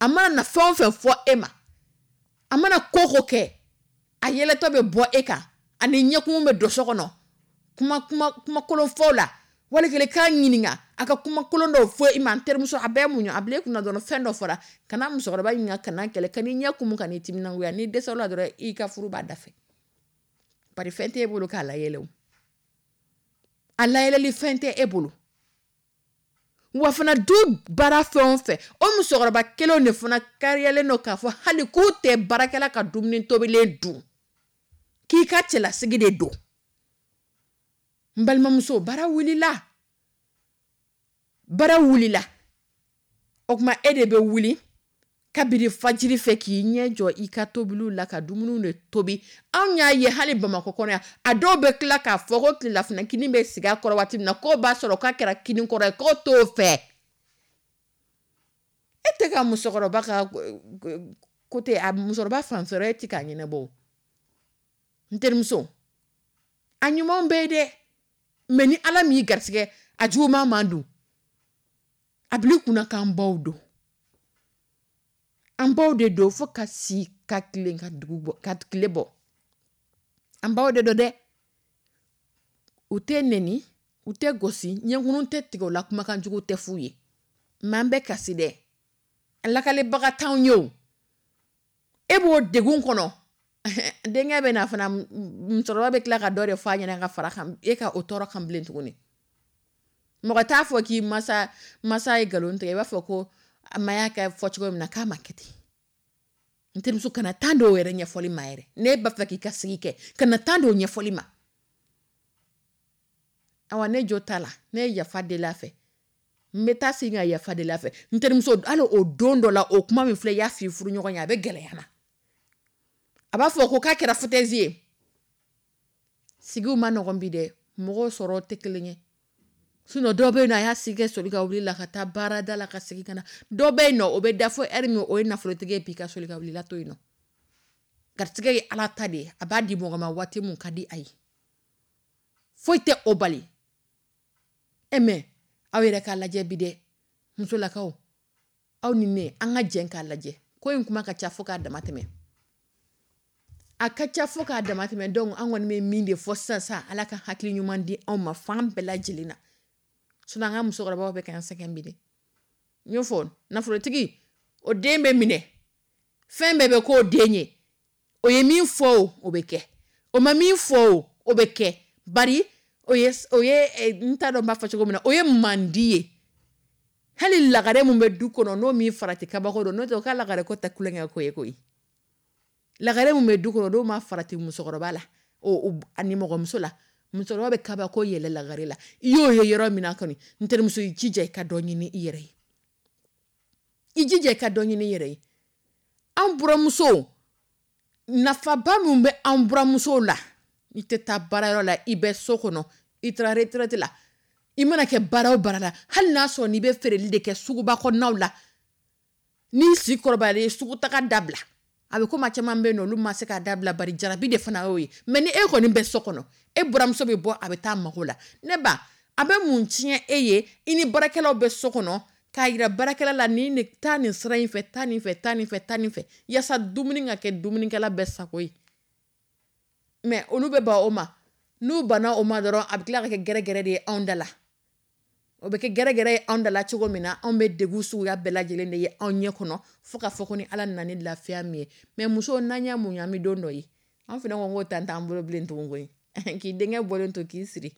A mana na fɛn o fɛn fɔ e ma, a mana ko ko kɛ, a yɛlɛtɔ bɛ bɔ e kan, ani ɲɛkumu bɛ don so kɔnɔ, kuma kuma kumakolon fɔw la, wali kelen k'a ɲininka a ka kumakolon dɔw fɔ i ma. N terimuso, a bɛɛ muɲu, a bila i kunna dɔrɔn fɛn dɔ fɔra, kana musokɔrɔba ɲininka, kana kɛlɛ, kan'i ɲɛ kumu, kan'i timinangoya. N'i dɛsɛra la dɔrɔn, i ka furu b'a dafɛ. Bari fɛn t'e bolo k'a layɛlɛ o, a layɛlɛli fɛn tɛ e bolo. Wa fana, du baara fɛn o fɛn, o musokɔrɔba kelenw de fana kariyalen don k'a fɔ hali k'u tɛ baarakɛla ka dumuni tobilen dun, k'i ka cɛlasigi de don. N balimamuso, baara wulila, baara wulila. O tuma, e de bɛ wuli Kabini fajiri fɛ k'i ɲɛ jɔ i ka tobiliw la ka dumuniw de tobi. Anw y'a ye hali Bamakɔ kɔnɔ yan, a dɔw bɛ tila k'a fɔ ko tilelafana kini bɛ sigi a kɔrɔ waati min na, k'o b'a sɔrɔ k'a kɛra kini kɔrɔ ye, k'o t'o fɛ. E tɛ ka musokɔrɔba ka côté, a musokɔrɔba fanfɛla e tɛ k'a ɲɛnabɔ. N terimuso, a ɲumanw bɛ yen dɛ, mais ni Ala m'i garisɛgɛ a juguman man dun. A bil'i kunna k'an baw don. An baw de don fo ka si ka tilen ka dugu bɔ, ka tile bɔ. An baw de don dɛ. U tɛ nɛni, u tɛ gosi, ɲɛkunnu tɛ tigɛ u la, kumakan jugu tɛ f'u ye. Mais an bɛ kasi dɛ. Lakalebaga t'anw ye o. E b'o degun kɔnɔ. Denkɛ bɛ na fana, musokɔrɔba bɛ tila ka dɔ de fɔ a ɲɛna ka fara kan, e ka o tɔɔrɔ kan bilen tuguni. Mɔgɔ t'a fɔ k'i masa masa ye nkalon tigɛ, i b'a fɔ ko a ma y'a kɛ fɔ cogo min na k'a ma kɛ ten. N terimuso, kana taa dɔw yɛrɛ ɲɛfɔli ma yɛrɛ. Ne b'a fɛ k'i ka sigi kɛ, kana taa dɔw ɲɛfɔli ma. Awa ne jo t'a la, ne ye yafa deli a fɛ. N bɛ taa segin ka yafa deli a fɛ. N terimuso, hali o don dɔ la, o kuma min filɛ i y'a f'i furuɲɔgɔn ye, a bɛ gɛlɛya ma. A b'a fɔ ko k'a kɛra foutaise ye. Sigiw ma nɔgɔn bi dɛ, mɔgɔw sɔrɔ tɛ kelen ye. Sinon dɔw bɛ yen nɔ, a y'a sigi kɛ soli ka wuli la ka taa baarada la ka segin ka na. Dɔw bɛ yen nɔ, o bɛ da fo heure min, o ye nafolotigi ye bi ka soli ka wuli la to yen nɔ. Garisɛgɛ ye Ala ta de ye, a b'a di mɔgɔ ma waati mun ka di a ye. Foyi tɛ o bali. E mais aw yɛrɛ k'a lajɛ bi dɛ, musolakaw, aw ni ne, an ka jɛn k'a lajɛ. Ko in kuma ka ca fo k'a dama tɛmɛ. A ka ca fo k'a dama tɛmɛ. Donc an kɔni bɛ min de fɔ sisan sisan, Ala ka hakili ɲuman di anw ma fan bɛɛ lajɛlen na. Sinon an ka musokɔrɔbaw bɛ k'an sɛgɛn bi dɛ. N y'o fɔ, nafolotigi, o den bɛ minɛ. Fɛn bɛɛ bɛ k'o den ye. O ye min fɔ o, o bɛ kɛ. O ma min fɔ o, o bɛ kɛ. Bari o ye, o ye, n t'a dɔn n b'a fɔ cogo min na, o ye mandi ye. Hali lagare mun bɛ du kɔnɔ, n'o min farati kabako don, n'o tɛ o ka lagare ko tɛ kulonkɛ ko ye koyi. Lagare mun bɛ du kɔnɔ, n'o ma farati musokɔrɔba la, o, o, ani mɔgɔmuso la, musokɔrɔba bɛ kabako yɛlɛ lagare la. I y'o ye yɔrɔ min na kɔni, n terimuso, i jija i ka dɔ ɲini i yɛrɛ ye. I jija i ka dɔ ɲini i yɛrɛ ye. An buramusow, nafaba min bɛ an buramusow la, i tɛ taa baarayɔrɔ la, i bɛ so kɔnɔ, i taara retraite la, i mana kɛ baara o baara la, hali n'a sɔrɔ n'i bɛ feereli de kɛ suguba kɔnɔnaw la, n'i si kɔrɔbayalen ye sugutaga dabila. A bɛ komi a caman bɛ yen nɔ, olu ma se k'a dabila, bari jarabi de fana y'o ye. Mais ni e kɔni bɛ so kɔnɔ, e buramuso bɛ bɔ, a bɛ taa mago la. Ne ba, a bɛ mun tiɲɛ e ye, i ni baarakɛlaw bɛ so kɔnɔ, k'a yira baarakɛla la ni ne taa nin sira in fɛ, taa nin fɛ, taa nin fɛ, taa nin fɛ, yaasa dumuni ka kɛ dumunikɛla bɛɛ sago ye. Mais olu bɛ ban o ma. N'u banna o ma dɔrɔn, a bɛ tila ka kɛ gɛrɛgɛrɛ de ye anw da la. O bɛ kɛ gɛrɛgɛrɛ ye anw da la cogo min na, anw bɛ degun suguya bɛɛ lajɛlen de ye anw ɲɛ kɔnɔ, fo ka fɔ ko ni Ala nana ni lafiya min ye. Mais musow, n'an y'a muɲu, an bɛ don dɔ ye. An fana ko k'o tan t'an bolo bilen tugun koyi. K'i denkɛ bɔlen to k'i siri.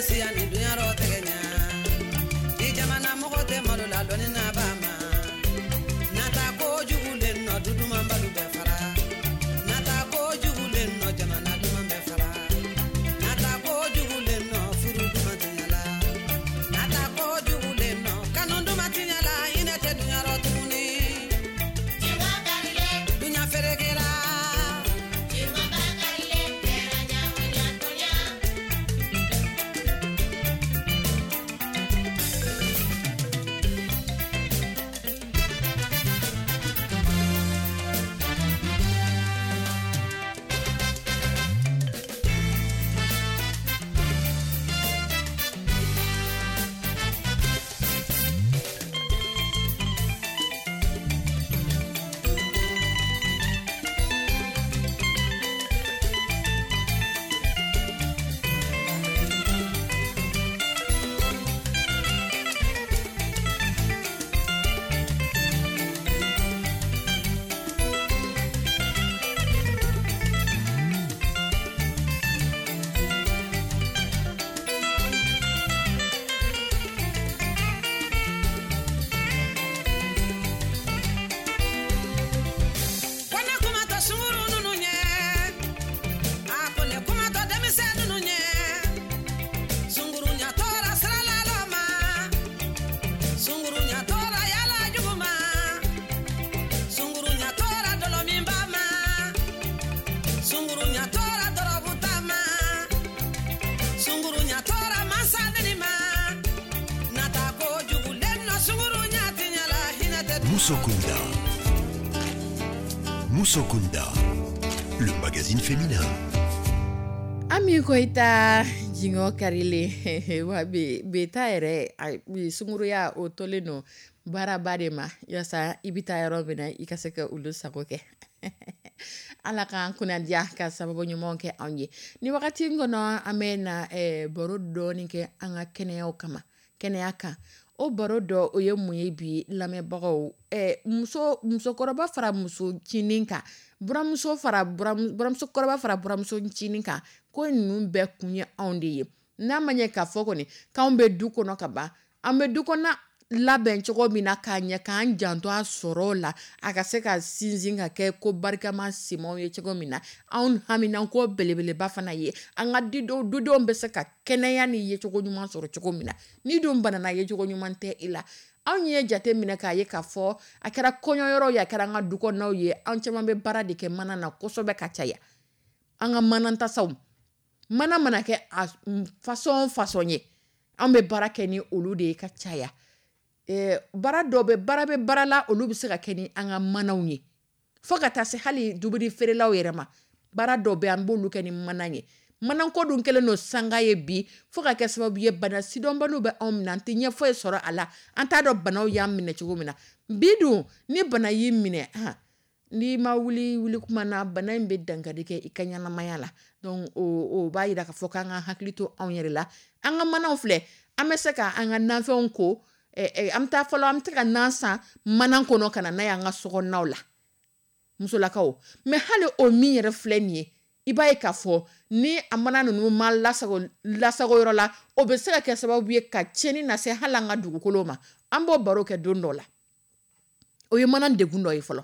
Siya ni dunya rɔ tɛgɛ ɲa i jamana mɔgɔ tɛ malo la dɔɔni na ba ma nata kojugu le nɔ du duman balu bɛɛ fara nata kojugu le nɔ jamana duman bɛɛ fara nata kojugu le nɔ furu duman tiɲɛ la nata kojugu le nɔ kanu duman tiɲɛ la hinɛ tɛ dunya rɔ tuguni dunya ferekela. Ko ne kuma tɛ sunguru ninnu ɲɛ a ko ne kuma tɛ denmisɛn ninnu ɲɛ sunguru ɲɛtɔra sira lalɔ ma sunguru ɲɛtɔra yala jugu ma sunguru ɲɛtɔra dɔlɔminba ma sunguru ɲɛtɔra dɔrɔguta ma sunguru ɲɛtɔra mansa neni ma nata kojugu le nɔ sunguru ɲɛ ti ɲɛ la hinɛ tɛ dunya rɔ Musokunda. Musokunda, le magazine féminin. Ami Koyita jingɔ karilen wa bi bi ta yɛrɛ a- bi sunguruya o tolen don baaraba de ma yaasa i bɛ taa yɔrɔ min na i ka se ka olu sago kɛ. Ala k'an kunnadiya ka sababu ɲumanw kɛ anw ye. Ni wagati in kɔnɔ, an bɛ na eh, baro dɔɔni kɛ an ka kɛnɛyaw kama, kɛnɛya kan. O baro dɔ o ye mun ye bi lamɛnbagaw? eh, muso musokɔrɔba fara muso ncinin kan, buramuso fara buramusokɔrɔba fara buramuso ncinin kan, ko ninnu bɛɛ kun ye anw de ye. N'a ma ɲɛ k'a fɔ kɔni k'anw bɛ du kɔnɔ ka ban, an bɛ du kɔnɔ labɛn cogo min na k'a ɲɛ, k'an janto a sɔrɔ la, a ka se ka sinsin ka kɛ ko barikama simanw ye cogo min na, anw haminanko belebeleba fana ye an ka didenw dudenw bɛ se ka kɛnɛya ni yecogo ɲuman sɔrɔ cogo min na. Ni dun banana, yecogo ɲuman tɛ i la. Anw ye jate minɛ k'a ye k'a fɔ a kɛra kɔɲɔyɔrɔ ye, a kɛra an ka du kɔnɔnaw ye, an caman bɛ baara de kɛ mana na kosɛbɛ ka caya. An ka mana tasaw, mana mana kɛ a façon o façon ye, an bɛ baara kɛ ni olu de ye ka caya. Eh, baara dɔw bɛ baara bɛ baara la, olu bɛ se ka kɛ ni an ka manaw ye, fo ka taa se hali dumuni feerelaw yɛrɛ ma. Baara dɔw bɛ, an b'olu kɛ ni mana ye. Manako dun kɛlen don sanga ye bi, fo ka kɛ sababu ye bana sidɔnbaliw bɛ anw minɛ, an tɛ ɲɛfɔ ye sɔrɔ a la, an t'a dɔn banaw y'an minɛ cogo min na. Bi dun, ni bana y'i minɛ, han, n'i ma wuli wuli kuma na, bana in bɛ dankari kɛ i ka ɲɛnamaya la. Donc o o b'a yira k'a fɔ k'an ka hakili to anw yɛrɛ la. An ka manaw filɛ, an bɛ se ka an ka nafɛnw ko, an bɛ taa fɔlɔ, an bɛ se ka nan san mana kɔnɔ ka na n'a ye an ka sokɔnɔnaw la, musolakaw. Mais hali o min yɛrɛ filɛ nin ye, i b'a ye k'a fɔ ni a mana ninnu ma lasago lasago yɔrɔ la, o bɛ se ka kɛ sababu ye ka tiɲɛni lase hali an ka dugukolo ma. An b'o baro kɛ don dɔ la. O ye mana degun dɔ ye fɔlɔ.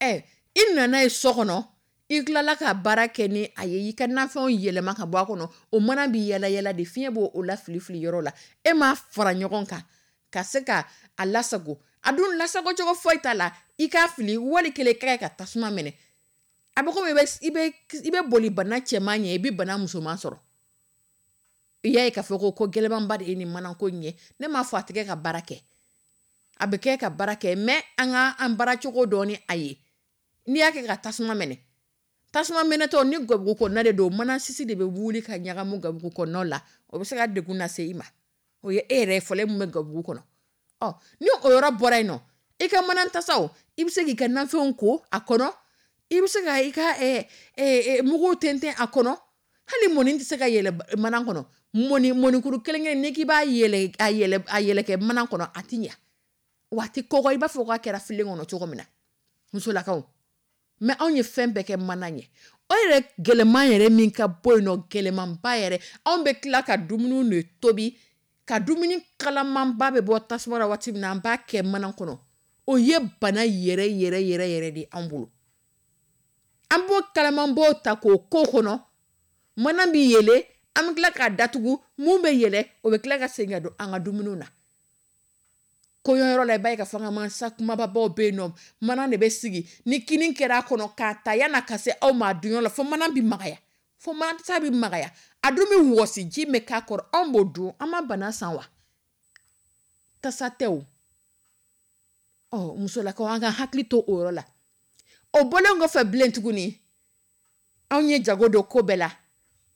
Ɛ, i nana ye so kɔnɔ, i tilala ka baara kɛ ni a ye, i ka nafɛnw yɛlɛma ka bɔ a kɔnɔ, o mana bɛ yala yala de, fiɲɛ b'o o la fili fili yɔrɔ la. E m'a fara ɲɔgɔn kan ka se ka a lasago. A dun lasago cogo foyi t'a la, i k'a fili wali kelen k'a ka tasuma minɛ. A bɛ komi i bɛ i bɛ i bɛ boli bana cɛman ɲɛ, i bɛ bana musoman sɔrɔ. I y'a ye k'a fɔ ko ko gɛlɛnmanba de ye nin manako in ye. Ne m'a fɔ a tɛ kɛ ka baara kɛ, a bɛ kɛ ka baara kɛ, mais an ka an baaracogo dɔn ni a ye. N'i y'a kɛ ka tasuma minɛ, tasuma minɛtɔ ni gabugu kɔnɔna de don, mana sisi de bɛ wuli ka ɲagamu gabugu kɔnɔnaw la, o bɛ se ka degun lase i ma. O ye e yɛrɛ fɔlɔ min bɛ gabugu kɔnɔ. Ɔ, ni o yɔrɔ bɔra yen nɔ, i ka mana tasaw, i bɛ se k'i ka nafɛnw ko a kɔnɔ, i bɛ se ka i ka mugu tɛntɛn a kɔnɔ. Hali mɔni tɛ se ka yɛlɛ mana kɔnɔ. Mɔni mɔnikuru kelen kelen n'i k'i b'a yɛlɛ a yɛlɛ a yɛlɛ kɛ mana kɔnɔ, a ti ɲɛ wa, a ti kɔgɔ i b'a fɔ k'a kɛra filen kɔnɔ cogo min na, musolakaw. Mais anw ye fɛn bɛɛ kɛ mana ye. O yɛrɛ gɛlɛman yɛrɛ min ka bɔ yen nɔ, gɛlɛmanba yɛrɛ, anw bɛ tila ka dumuni de tobi, ka dumuni kalamanba bɛ bɔ tasuma la waati min na, an b'a kɛ mana kɔnɔ. O ye bana yɛrɛ yɛrɛ yɛrɛ yɛrɛ de anw bolo. An b'o kalamanbaw ta k'o k'o kɔnɔ, mana bɛ yɛlɛ, an bɛ tila k'a datugu, mun bɛ yɛlɛ, o bɛ tila ka segin ka don an ka dumuniw na. Kɔɲɔyɔrɔ la, i b'a ye k'a fɔ an ka mansa kumababaw bɛ yen nɔ, mana de bɛ sigi ni kini kɛra a kɔnɔ k'a ta yan'a ka se aw ma a dunyɔrɔ la, fo mana bɛ magaya, fo manasa bɛ magaya, a dun bɛ wɔsi, ji bɛ k'a kɔrɔ, anw b'o dun, an ma bana san wa? Tasa tɛ o. Ɔ, musolakaw, an ka hakili to o yɔrɔ la. O bɔlen kɔfɛ bilen tuguni, anw ye jago don ko bɛɛ la.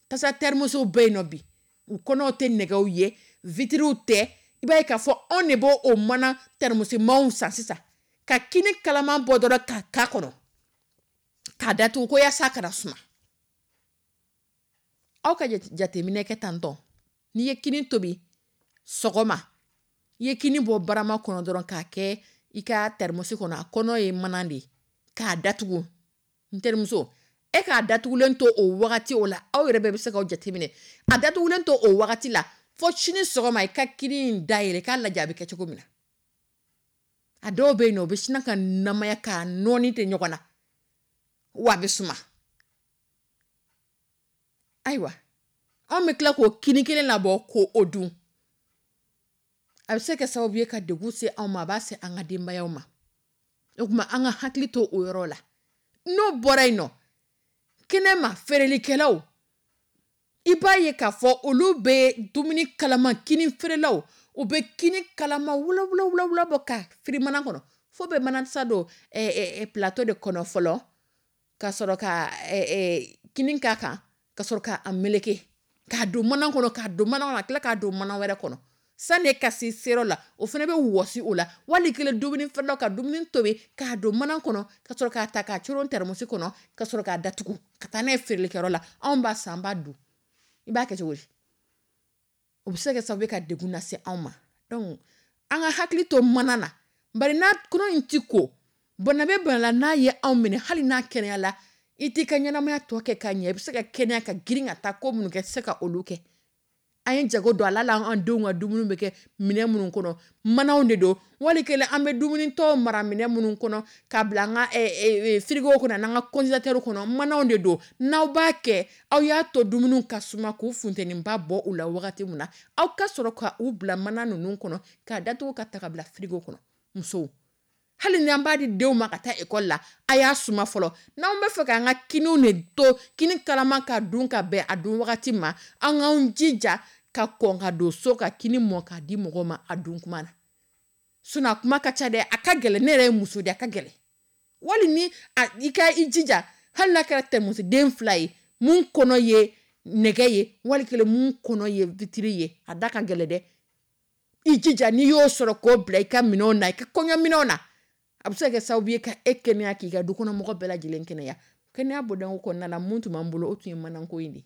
Tasa tɛrimusow bɛ yen nɔ bi, u kɔnɔw tɛ nɛgɛw ye, vitiriw tɛ. I b'a ye k'a fɔ anw de b'o o mana tɛrimusimanw san sisan, ka kini kalaman bɔ dɔrɔn k'a k'a kɔnɔ, k'a datugu ko yaasa a kana suma. Aw ka jateminɛ kɛ tantɔn, n'i ye kini tobi sɔgɔma, i ye kini bɔ barama kɔnɔ dɔrɔn k'a kɛ i ka tɛrimusi kɔnɔ, a kɔnɔ ye mana de ye, k'a datugu. N terimuso, e k'a datugulen to o wagati o la, aw yɛrɛ bɛɛ bɛ se k'aw jateminɛ, a datugulen to o wagati la fo sini sɔgɔma, i ka kini in dayɛlɛ k'a lajɛ a bɛ kɛ cogo min na. A dɔw bɛ yen nɔ, u bɛ sina ka namaya k'a nɔɔni tɛ ɲɔgɔn na, wa a bɛ suma. Ayiwa, anw bɛ tila k'o kini kelen labɔ k'o dun. A bɛ se ka kɛ sababu ye ka degun se anw ma, a b'a se an ka denbayaw ma. O tuma an ka hakili to o yɔrɔ la. N'o bɔra yen nɔ, kɛnɛma feerelikɛlaw, i b'a ye k'a fɔ olu bɛ dumuni kalama, kini feerelaw, u bɛ kini kalama wula wula bɔ ka firi mana kɔnɔ, fo bɛ manasa don plateau de kɔnɔ fɔlɔ, ka sɔrɔ ka kini k'a kan, ka sɔrɔ k'a meleke, k'a don mana kɔnɔ, k'a don mana kɔnɔ, ka tila k'a don mana wɛrɛ kɔnɔ. Sani e ka se seyɔrɔ la, o fana bɛ wɔsi o la. Wali kelen dumuni feerelaw ka dumuni tobi k'a don mana kɔnɔ, ka sɔrɔ k'a ta k'a coron tɛrɛmusi kɔnɔ, ka sɔrɔ k'a datugu ka taa n'a ye feerelikɛyɔrɔ la. Anw b'a san, an b'a dun. I b'a kɛ cogo di? O bɛ se ka kɛ sababu ye ka degun lase anw ma. Donc an ka hakili to mana na, bari n'a kɔnɔ in ti ko, bana bɛ bana la, n'a ye anw minɛ, hali n'a kɛnɛya la, i t'i ka ɲɛnamaya tɔ kɛ ka ɲɛ. I bɛ se ka kɛnɛya ka girin ka taa ko minnu kɛ, i tɛ se ka olu kɛ. An ye jago don a la, an denw ka dumuni bɛ kɛ minɛn minnu kɔnɔ, manaw de don. Wali kelen an bɛ dumunitɔw mara minɛn minnu kɔnɔ k'a bila an ka frigo kɔnɔ n'an ka congélateur kɔnɔ, manaw de don. N'aw b'a kɛ, aw y'a to dumuni ka suma k'u funteniba bɔ u la wagati min na, aw ka sɔrɔ ka u bila mana ninnu kɔnɔ k'a datugu ka ta ka bila frigo kɔnɔ. Musow, hali ni an b'a di denw ma ka taa ekɔli la, a y'a suma fɔlɔ. N'anw bɛ fɛ k'an ka kiniw de to, kini kalama ka dun ka bɛn a dun wagati ma, an k'an jija ka kɔn ka don so ka kini mɔ k'a di mɔgɔw ma a dun kuma na. Sinon a kuma ka ca dɛ, a ka gɛlɛn. Ne yɛrɛ ye muso de, a ka gɛlɛn. Wali ni i ka i jija, hali n'a kɛra tɛrɛmusiden fila ye, mun kɔnɔ ye nɛgɛ ye, wali kelen mun kɔnɔ ye vitiri ye, a da ka gɛlɛn dɛ. I jija n'i y'o sɔrɔ k'o bila i ka minɛnw na, i ka kɔɲɔminɛnw na, a bɛ se ka kɛ sababu ye ka e kɛnɛya, k'i ka dukɔnɔmɔgɔ bɛɛ lajɛlen kɛnɛya. Kɛnɛya bɔdanko kɔnɔna la, mun tun b'an bolo, o tun ye manako in de ye.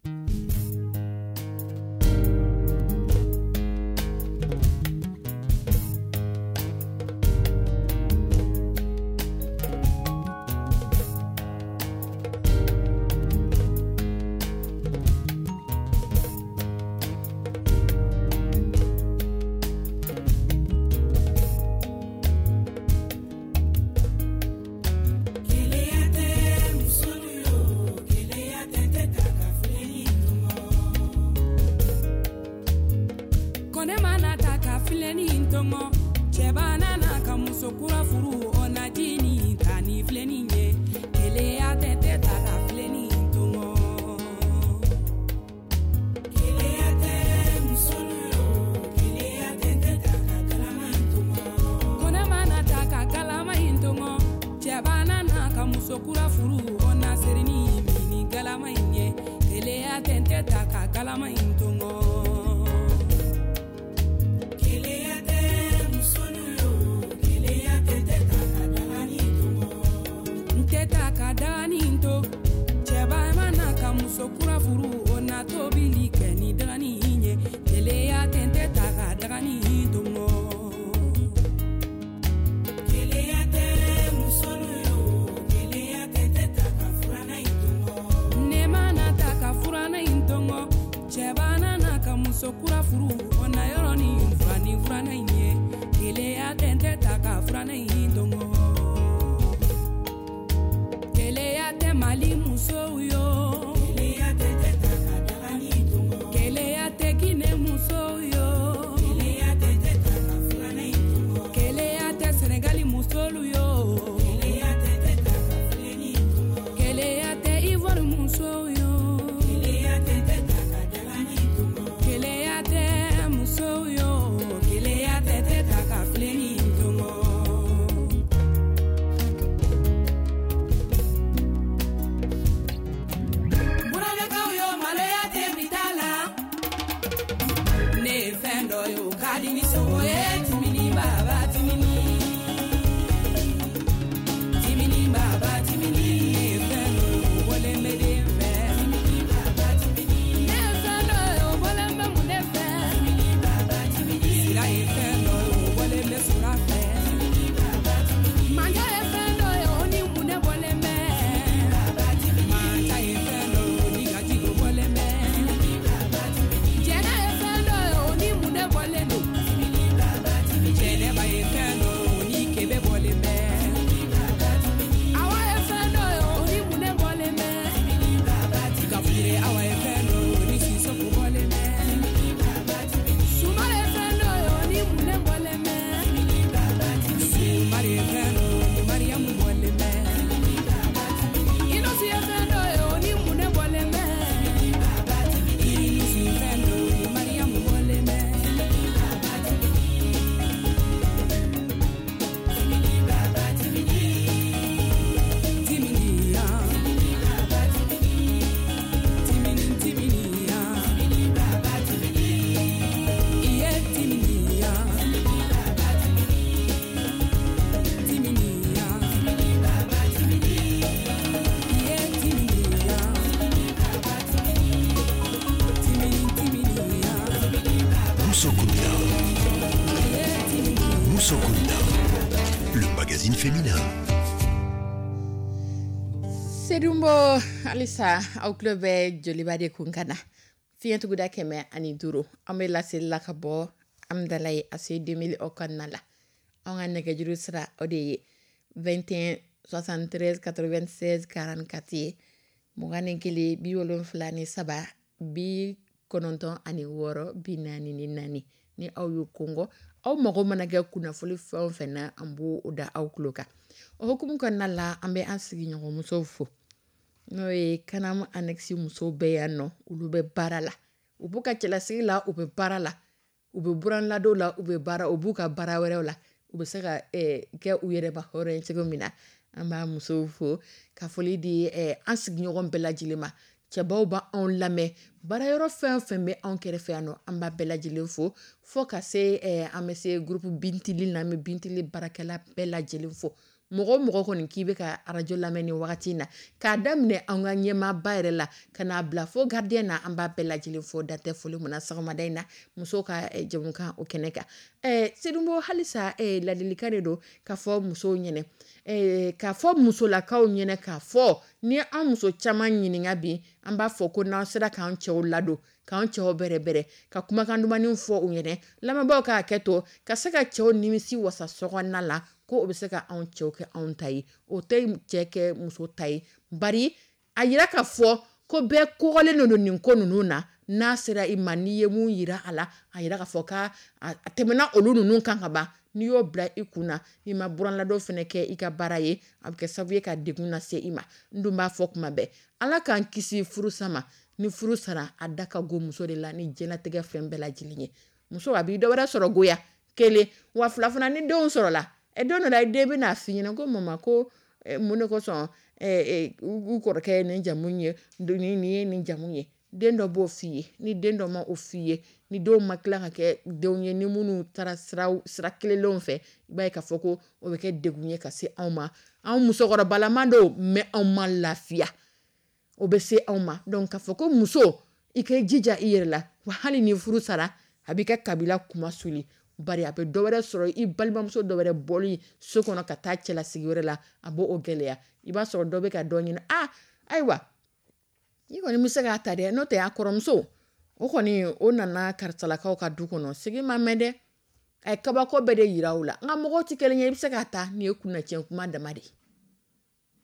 Sedunbo halisa aw tulo bɛ Joliba de kun ka na fiɲɛtuguda kɛmɛ ani duuru an bɛ laseli la ka bɔ Amdalaye A C deux mille o kɔnɔna la an ka nɛgɛjuru sira o de ye vingt et un soixante-treize quatre-vingt-seize quarante-quatre ye mugan ni kelen bi wolonfila ni saba bi kɔnɔntɔn ani wɔɔrɔ bi naani ni naani ni aw y'o kɔngɔ aw mago mana kɛ kunnafoni fɛn o fɛn na an b'o da aw tulo kan o hukumu kɔnɔna la an bɛ an sigiɲɔgɔnmusow fo n'o ye Kanamu annexe musow bɛɛ yan nɔ olu bɛ baara la u b'u ka cɛlasigi la u bɛ baara la u bɛ buranladon la u bɛ baara u b'u ka baara wɛrɛw la u bɛ se ka kɛ u yɛrɛ ba hɔrɔn ye cogo min na an b'a musow fo ka foli di an sigiɲɔgɔn bɛɛ lajɛlen ma cɛbaw b'anw lamɛn baarayɔrɔ fɛn o fɛn bɛ anw kɛrɛfɛ yan nɔ an b'a bɛɛ lajɛlen fo fo ka se an bɛ se groupe Bintili na an bɛ Bintili baarakɛla bɛɛ lajɛlen fo mɔgɔ o mɔgɔ kɔni k'i bɛ ka arajo lamɛn ni wagati in na k'a daminɛ an ka ɲɛmaaba yɛrɛ la ka n'a bila fo gardien na an b'a bɛɛ lajɛlen fo dantɛ foli min na sɔgɔmada in na musow ka jɛmukan o kɛnɛ kan ɛɛ Sedunbo halisa ladilikan de don ka fɔ musow ɲɛna k'a fɔ musolakaw ɲɛna k'a fɔ ni an muso caman ɲininka bi an b'a fɔ ko n'an sera k'an cɛw ladon k'an cɛw bɛrɛbɛrɛ ka kumakan dumanw fɔ u ɲɛna lamɛnbaaw k'a kɛ to ka se ka cɛw nimisi wasa sokɔnɔna la ko o bɛ se ka anw cɛw kɛ anw ta ye o tɛ cɛ kɛ muso ta ye bari a yira k'a fɔ ko bɛɛ kɔgɔlen don nin ko ninnu na n'a sera i ma n'i ye mun yira a la a yira k'a fɔ k'a a tɛmɛna olu ninnu kan ka ban n'i y'o bila i kun na i ma buranladon fana kɛ i ka baara ye a bɛ kɛ sababu ye ka degun lase i ma n dun b'a fɔ kuma bɛɛ ala k'an kisi furusa ma ni furu sara a da ka go muso de la ni diɲɛlatigɛ fɛn bɛɛ lajɛlen ye muso a b'i dɔwɛrɛ sɔrɔ goya kelen wa fila fana ni denw sɔrɔla ɛ don dɔ la i den bɛna f'i ɲɛna ko mama ko mun de kosɔn u kɔrɔkɛ ye nin jamu ye nin ye nin jamu ye den dɔ b'o f'i ye ni den dɔ ma o f'i ye ni denw ma tila ka kɛ denw ye ni minnu taara sira sira kelenlenw fɛ i b'a ye k'a fɔ ko o bɛ kɛ degun ye ka se anw ma anw musokɔrɔbalaman don mais anw ma lafiya o bɛ se anw ma donc k'a fɔ ko muso i k'i jija i yɛrɛ la wa hali ni furu sara a b'i ka kabila kuma suli bari a bɛ dɔ wɛrɛ sɔrɔ i balimamuso dɔ wɛrɛ bɔli so kɔnɔ ka taa cɛlasigi wɛrɛ la a b'o gɛlɛya i b'a sɔrɔ dɔ bɛ ka dɔ ɲini a ayiwa i kɔni bɛ se k'a ta dɛ n'o tɛ a kɔrɔmuso o kɔni o nana karisalakaw ka du kɔnɔ sigi ma mɛn dɛ a ye kabako bɛɛ de yira o la nka mɔgɔw tɛ kelen ye i bɛ se k'a ta nin ye kunnacɛn kuma dama de ye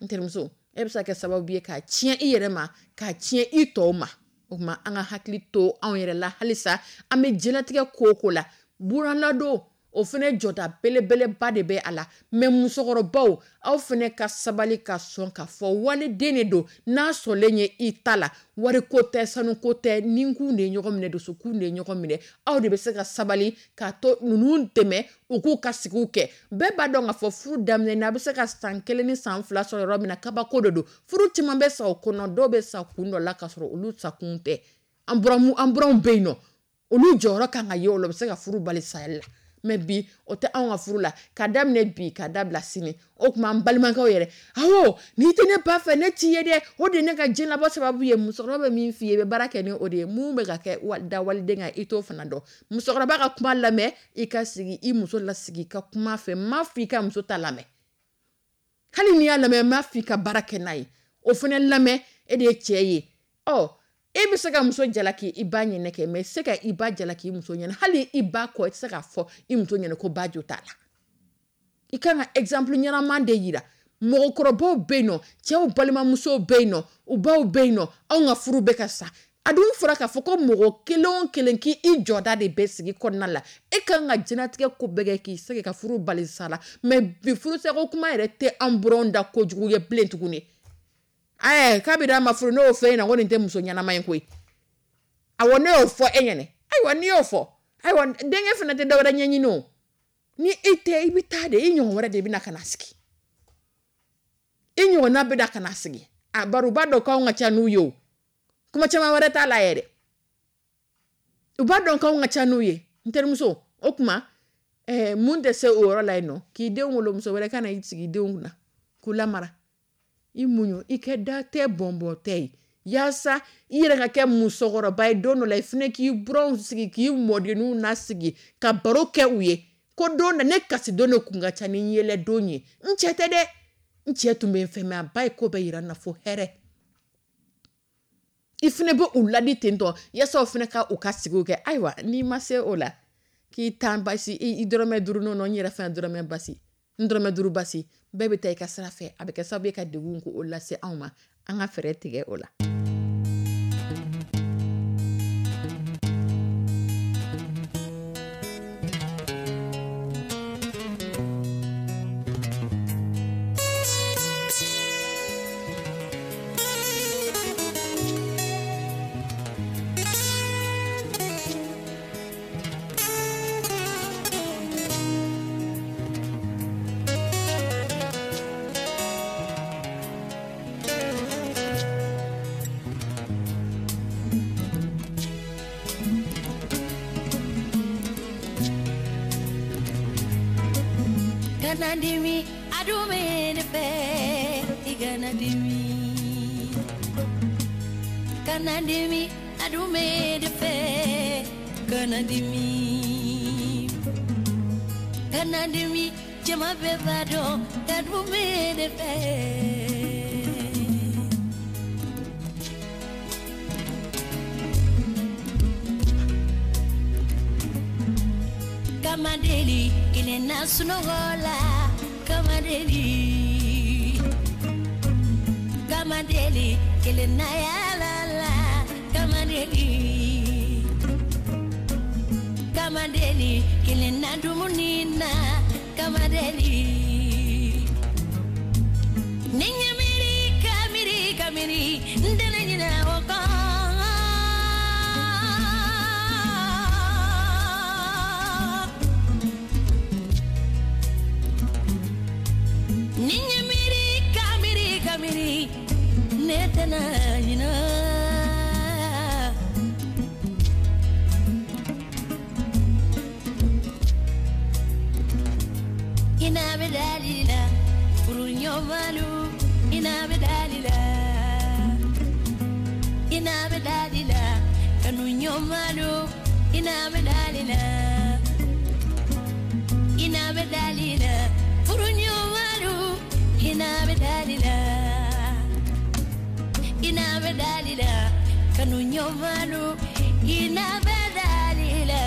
n terimuso e bɛ se ka kɛ sababu ye k'a tiɲɛ i yɛrɛ ma k'a tiɲɛ i tɔw ma o tuma an ka hakili to anw yɛrɛ la halisa an bɛ diɲɛlatigɛ ko o ko la buranladon o fana jɔda belebeleba de bɛ a la mais musokɔrɔbaw aw fana ka sabali ka sɔn k'a fɔ waliden de don n'a sɔnlen ye i ta la wariko tɛ sanuko tɛ ninkun de ye ɲɔgɔn minɛ dusukun de ye ɲɔgɔn minɛ aw de bɛ se ka sabali k'a to ninnu dɛmɛ u k'u ka sigiw kɛ bɛɛ b'a dɔn k'a fɔ furu daminɛ na a bɛ se ka san kelen ni san fila sɔrɔ yɔrɔ min na kabako de don furu caman bɛ sa o kɔnɔ dɔw bɛ sa kun dɔ la k'a sɔrɔ olu sakun tɛ an buranmu an buranw bɛ yen nɔ olu jɔyɔrɔ kan ka ye o la u bɛ se ka furu bali saya la mais bi o tɛ anw ka furu la ka daminɛ bi ka dabila sini o tuma an balimakɛw yɛrɛ awɔ n'i tɛ ne ba fɛ ne t'i ye dɛ o de ye ne ka diɲɛlabɔ sababu ye musokɔrɔba bɛ min f'i ye i bɛ baara kɛ ni o de ye mun bɛ ka kɛ da waliden kan i t'o fana dɔn musokɔrɔba ka kuma lamɛn i ka sigi i muso lasigi i ka kuma fɛ n m'a fɔ i ka muso ta lamɛn hali n'i y'a lamɛn n m'a fɔ i ka baara kɛ n'a ye o fana lamɛn e de ye cɛ ye ɔ e bɛ se ka muso jalaki i ba ɲɛnɛ kɛ mais i tɛ se ka i ba jalaki i muso ɲɛna hali i ba kɔ i tɛ se k'a fɔ i muso ɲɛna ko ba jo t'a la i kan ka exemple ɲɛnama de yira mɔgɔkɔrɔbaw bɛ yen nɔ cɛw balimamusow bɛ yen nɔ u baw bɛ yen nɔ anw ka furu bɛ ka sa a dun fɔra k'a fɔ ko mɔgɔ kelen o kelen k'i jɔda de bɛ sigi kɔnɔna la e kan ka diɲɛlatigɛ ko bɛɛ kɛ k'i se ka furu bali sa la mais bi furusako kuma yɛrɛ tɛ an buranw da kojugu ye bilen tuguni ɛɛ kabini a ma furu ne y'o fɔ e ɲɛna ko nin tɛ muso ɲɛnama ye koyi awɔ ne y'o fɔ e ɲɛna ayiwa n'i y'o fɔ ayiwa denkɛ fana tɛ dɔwɛrɛ ɲɛɲini o ni e tɛ i bɛ taa de i ɲɔgɔn wɛrɛ de bɛ na ka na sigi i ɲɔgɔnna bɛ na ka na sigi a bari u b'a dɔn k'anw ka ca n'u ye o kuma caman wɛrɛ t'a la yɛrɛ u b'a dɔn k'anw ka ca n'u ye n terimuso o tuma ɛɛ mun tɛ se o yɔrɔ la yen nɔ k'i denw wolo muso wɛrɛ ka na i sigi i denw kunna k'u lamara i muɲu i kɛ da tɛ bɔnbɔn tɛ ye yaasa i yɛrɛ ka kɛ musokɔrɔba ye don dɔ la i fana k'i buranw sigi k'i mɔdenninw nasigi ka baro kɛ u ye ko don na ne kasi don de kun ka ca ni yɛlɛ don ye n cɛ tɛ dɛ N cɛ tun bɛ n fɛ, mais a ba ye ko bɛɛ yira n na fo hɛrɛ. I fana bɛ u ladi ten tɔ yaasa o fana ka u ka sigiw kɛ. Ayiwa, n'i ma se o la k'i tan basi i dɔrɔmɛ duuru, nɔnɔ n yɛrɛ fana dɔrɔmɛ basi, n dɔrɔmɛ duuru basi, bɛɛ bɛ taa i ka sira fɛ. A bɛ kɛ sababu ye ka degun k'o lase anw ma. An ka fɛɛrɛ tigɛ o la. Kana dimi, a dun bɛ ne fɛ, i kana dimi. Kana dimi, a dun bɛ ne fɛ, kana dimi. Kana dimi, jama bɛɛ b'a dɔn, a dun bɛ ne fɛ. Kamadeli, kelen na sunɔgɔ la. Kamadeli, Kamadeli, kelen na yaala la. Kamadeli, Kamadeli, kelen na dumuni na. Kamadeli, ni n ye miiri ka miiri ka miiri, n tɛna ɲinɛ o kɔ. Ni n ye miiri ka miiri ka miiri, ne tɛna ɲinɛ. Ina bɛ dali la, furu ɲɔgɔnmalu, ina bɛ dali la. Ina bɛ dali la, kanu ɲɔgɔnmalu, ina bɛ dali la. Ina bɛ dali la, furu ɲɔgɔnmalu, ina bɛ dali la. Ina bɛ dali la, kanu ɲɔgɔnmalu, ina bɛ dali la.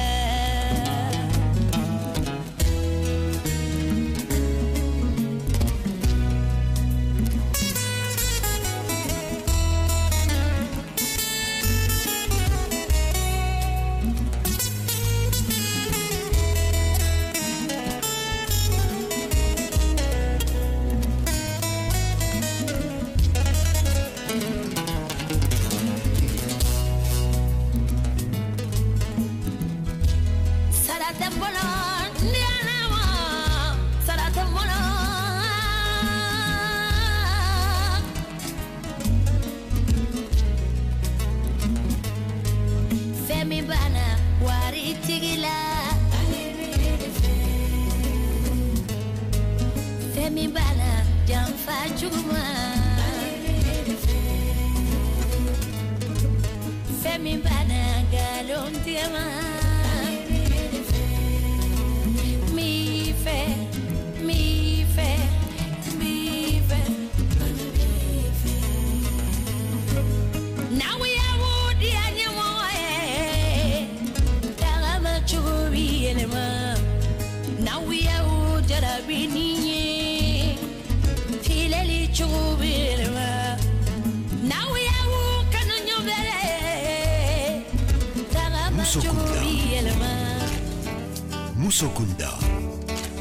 Musokunda,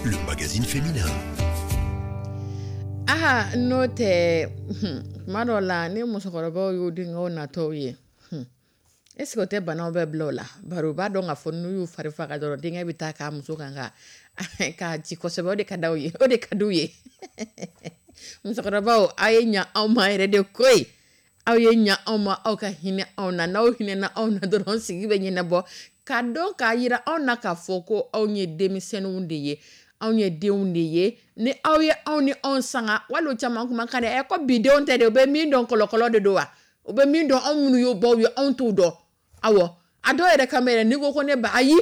le magazine féminin. Aha, n'o tɛ, tuma dɔw la ni musokɔrɔbaw y'u denkɛw natɔw ye, est ce que o tɛ banaw bɛɛ bila o la? Bari u b'a dɔn k'a fɔ n'u y'u fari faga dɔrɔn, denkɛ bɛ taa k'a muso kan ka k'a ci kosɛbɛ. O de ka d'aw ye, o de ka d'u ye. Musokɔrɔbaw, aw ye ɲa anw ma yɛrɛ de koyi. Aw ye ɲa anw ma, aw ka hinɛ anw na. N'aw hinɛna anw na dɔrɔn, sigi bɛ ɲɛnabɔ. K'a dɔn k'a yira anw na k'a fɔ ko anw ye denmisɛnninw de ye, anw ye denw de ye. Ni aw ye anw ni anw sanga, wali caman kuma kan dɛ, ɛ ko bi denw tɛ de, u bɛ min dɔn kɔlɔkɔlɔ de don wa? U bɛ min dɔn, anw minnu y'o baw ye, anw t'u dɔn. Awɔ, a dɔw yɛrɛ kan bɛ yɛrɛ, n'i ko ko ne ba, ayi,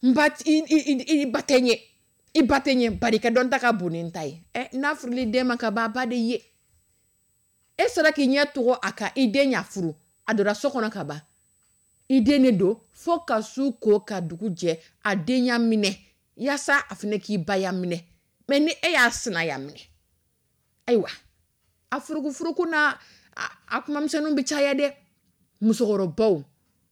n ba, i, i, i, i ba tɛ n ye. I ba tɛ ɲɛ, bari i ka dɔnta ka bon ni n ta ye. Ɛ, n'a furuli den ma ka ban, a ba de ye. E sera k'i ɲɛ tɔgɔ a kan, i den y'a furu, a donna so kɔnɔ ka ban, i den de don fo ka su ko ka dugu jɛ, a den ya minɛ yaasa a fana k'i ba ya minɛ. Mɛ ni e y'a sinaya minɛ, ayiwa, a furukufuruku n'a a kumamisɛnninw bɛ caya dɛ. Musokɔrɔbaw,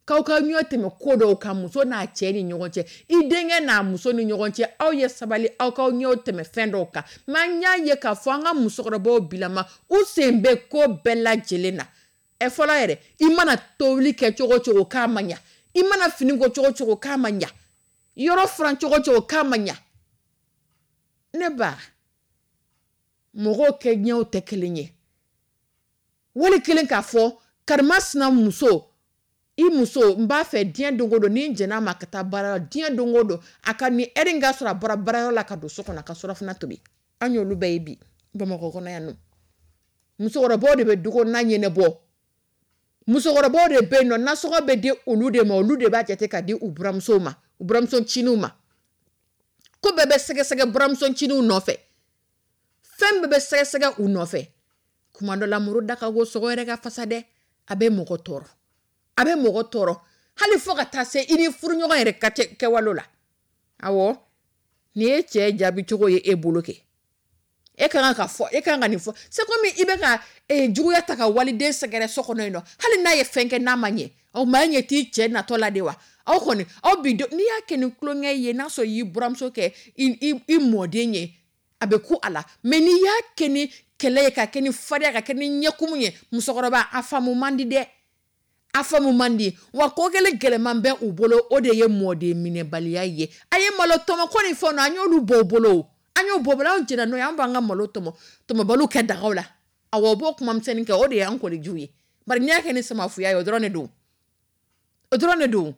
k'aw ka ɲɔ tɛmɛ ko dɔw kan muso n'a cɛ ni ɲɔgɔn cɛ, i denkɛ n'a muso ni ɲɔgɔn cɛ, aw ye sabali, aw k'aw ɲɛw tɛmɛ fɛn dɔw kan. Mɛ an y'a ye k'a fɔ an ka musokɔrɔbaw bilama, u sen bɛ ko bɛɛ lajɛlen na. Ɛ, fɔlɔ yɛrɛ, i mana tobili kɛ cogo o cogo k'a ma ɲa, i mana fini ko cogo o cogo k'a ma ɲa, yɔrɔ furan cogo o cogo k'a ma ɲa. Ne ba, mɔgɔw kɛ ɲɛw tɛ kelen ye. Wali kelen k'a fɔ karimasina muso, i muso, n b'a fɛ diɲɛ don o don ni n jɛn'a ma ka taa baara la, diɲɛ don o don a ka nin ɛri in ka sɔrɔ a bɔra baarayɔrɔ la ka don so kɔnɔ a ka surafana tobi. An y'olu bɛɛ ye bi Bamakɔ kɔnɔ yan nɔ. Musokɔrɔbaw de bɛ du kɔnɔna ɲɛnabɔ. Musokɔrɔbaw de bɛ yen nɔ, nasɔngɔ bɛ di olu de ma, olu de b'a jate ka di u buramusow ma, u buramuso ncininw ma. Ko bɛɛ bɛ sɛgɛsɛgɛ buramuso ncininw nɔfɛ, fɛn bɛɛ bɛ sɛgɛsɛgɛ u nɔfɛ. Kuma dɔ la, muru da ka go sogo yɛrɛ ka fasa dɛ, a bɛ mɔgɔ tɔɔrɔ, a bɛ mɔgɔ tɔɔrɔ hali fo ka taa se i ni furuɲɔgɔn yɛrɛ ka kɛwalo la. Awɔ, nin ye cɛ jaabi cogo ye e bolo kɛ. E ka kan ka fɔ, e ka kan ka nin fɔ. C'est comme i bɛ ka juguya ta ka waliden sɛgɛrɛ so kɔnɔ yen nɔ, hali n'a ye fɛn kɛ n'a ma ɲɛ, o maa ɲɛ t'i cɛ natɔ la de wa? Aw kɔni, aw bi n'i y'a kɛ ni tulonkɛ ye, n'a sɔrɔ y'i buramuso kɛ i i mɔden ye, a bɛ ku a la. Mɛ n'i y'a kɛ ni kɛlɛ ye, ka kɛ ni farinya, ka kɛ ni ɲɛkumu ye, musokɔrɔba, a faamu man di dɛ, a faamu man di. Wa ko kelen gɛlɛman bɛ u bolo, o de ye mɔden minɛbaliya ye. A ye malo tɔmɔ ko ni fɛnw na, an y'olu bɔ u bolo, an y'o bɔ bolo, anw jɛnna n'o ye, an b'an ka malo tɔmɔ tɔmɔbaliw kɛ dagaw la. Awɔ, o b'o kuma misɛnnin kɛ, o de y'an kɔnijiw ye. Bari n'i y'a kɛ ni samafuya ye, o dɔrɔn de don, o dɔrɔn de don.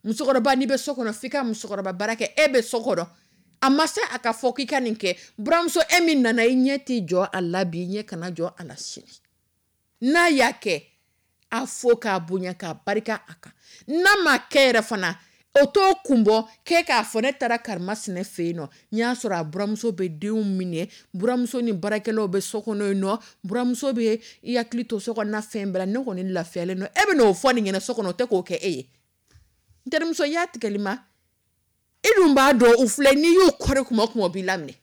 Musokɔrɔba, n'i bɛ so kɔnɔ, f'i ka musokɔrɔba baara kɛ. E bɛ so kɔnɔ, a ma se a ka fɔ k'i ka nin kɛ. Buramuso, e min nana, i ɲɛ t'i jɔ a la bi, i ɲɛ kana jɔ a la sini. N'a y'a kɛ, a fo k'a bonya k'a barika a kan. N'a ma kɛ yɛrɛ fana, o t'o kun bɔ k'e k'a fɔ ne taara karimasina fɛ yen nɔ, n y'a sɔrɔ a buramuso bɛ denw minɛ, buramuso ni baarakɛlaw bɛ so kɔnɔ yen nɔ, buramuso bɛ i hakili to so kɔnɔna fɛn bɛɛ la, ne kɔni lafiyalen don. E bɛ n'o fɔ nin ɲɛna so kɔnɔ, o tɛ k'o kɛ e ye. N terimuso, i y'a tigɛli ma, i dun b'a dɔn u filɛ, n'i y'u kɔri kuma o kuma, o b'i laminɛ.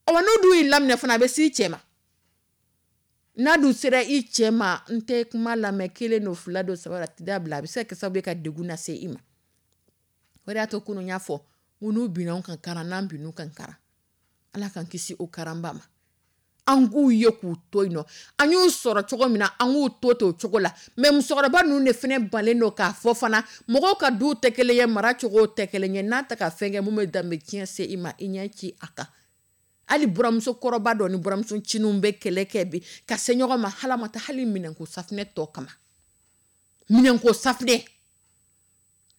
Ɔ, n'o dun y'i laminɛ fana, a bɛ s'i cɛ ma. N'a dun sera i cɛ ma, n tɛ kuma lamɛn, kelen don, fila don, saba, a tɛ dabila, a bɛ se ka kɛ sababu ye ka degun lase i ma. O de y'a to kunun y'a fɔ ko n'u binna anw kan karan, n'an binn'u kan karan, Ala k'an kisi o karanba ma. An k'u ye k'u to yen nɔ, an y'u sɔrɔ cogo min na, an k'u to ten o cogo la. Mɛ musokɔrɔba ninnu de fana balen don k'a fɔ fana, mɔgɔw ka duw tɛ kelen ye, mara cogo tɛ kelen ye. N'a tɛ ka fɛn kɛ mun bɛ danbe tiɲɛ se i ma, i ɲɛ ci a kan. Hali buramuso kɔrɔba dɔ ni buramuso ncininw bɛ kɛlɛ kɛ bi ka se ɲɔgɔn ma, hali ma taa hali minɛnko safunɛ tɔ kama, minɛnko safunɛ,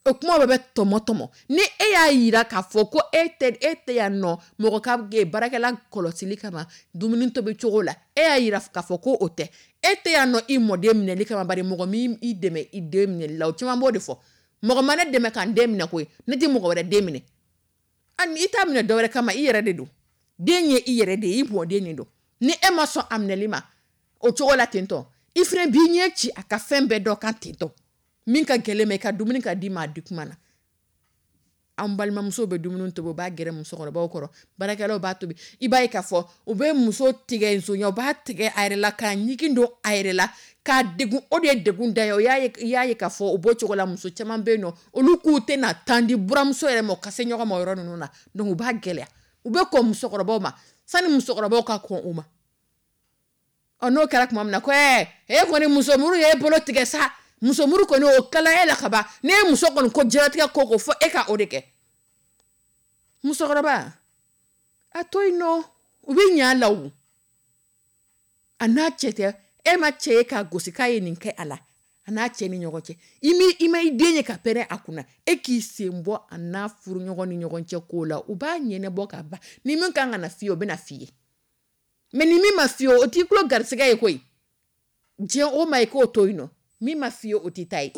o kuma bɛɛ bɛ tɔmɔ tɔmɔ. Ni e y'a yira k'a fɔ ko e tɛ e tɛ yan nɔ mɔgɔ ka baarakɛla kɔlɔsili kama dumuni tobi cogo la, e y'a yira k'a fɔ ko o tɛ, e tɛ yan nɔ i mɔden minɛli kama, bari mɔgɔ min i dɛmɛ i den minɛli la, o caman b'o de fɔ. Mɔgɔ ma ne dɛmɛ k'an den minɛ koyi, ne tɛ mɔgɔ wɛrɛ den minɛ. Ani i t'a minɛ dɔwɛrɛ kama, i yɛrɛ de don. Den ye i yɛrɛ de ye, i mɔden de don. Ni e ma sɔn a minɛli ma o cogo la ten tɔ, i fana b'i ɲɛ ci a ka fɛn bɛɛ dɔ kan ten tɔ. Min ka gɛlɛn ma, i ka dumuni ka d'i ma a di kuma na. An balimamusow bɛ dumuni tobi, u b'a gɛrɛ musokɔrɔbaw kɔrɔ, baarakɛlaw b'a tobi. I b'a ye k'a fɔ u bɛ muso tigɛ nsonya, u b'a tigɛ a yɛrɛ la, k'a ɲigin don a yɛrɛ la, k'a degun. O de ye degun da ye. O y'a ye, i y'a ye k'a fɔ o b'o cogo la. Muso caman bɛ yen nɔ, olu k'u tɛna tan di buramuso yɛrɛ ma, u ka se ɲɔgɔn ma o yɔrɔ ninnu na. Donc u b'a gɛlɛya, u bɛ kɔn musokɔrɔbaw ma sani musokɔrɔbaw ka kɔn u ma. Ɔ, n'o kɛra tuma min na, ko ɛɛ, e kɔni musomuru ye e bolo tigɛ sa, musomuru kɔni o kala e la ka ban. N'e ye muso kɔni ko diɲɛlatigɛ ko ko fɔ e ka o de kɛ. Musokɔrɔba, a to yen nɔ, u bɛ ɲɛ a la o. A n'a cɛ tɛ, e ma cɛ ye k'a gosi k'a ye nin kɛ a la, a n'a cɛ ni ɲɔgɔn cɛ. I mi i ma i den ye ka pɛrɛn a kunna, e k'i sen bɔ a n'a furuɲɔgɔn ni ɲɔgɔn cɛ ko la, u b'a ɲɛnabɔ ka ban. Ni min kan ka na f'i ye, o bɛ na f'i ye. Mɛ ni min ma f'i ye, o t'i tulo garisigɛ ye koyi. Diɲɛ o ma, i k'o to yen nɔ, min ma f'i ye, o t'i ta ye.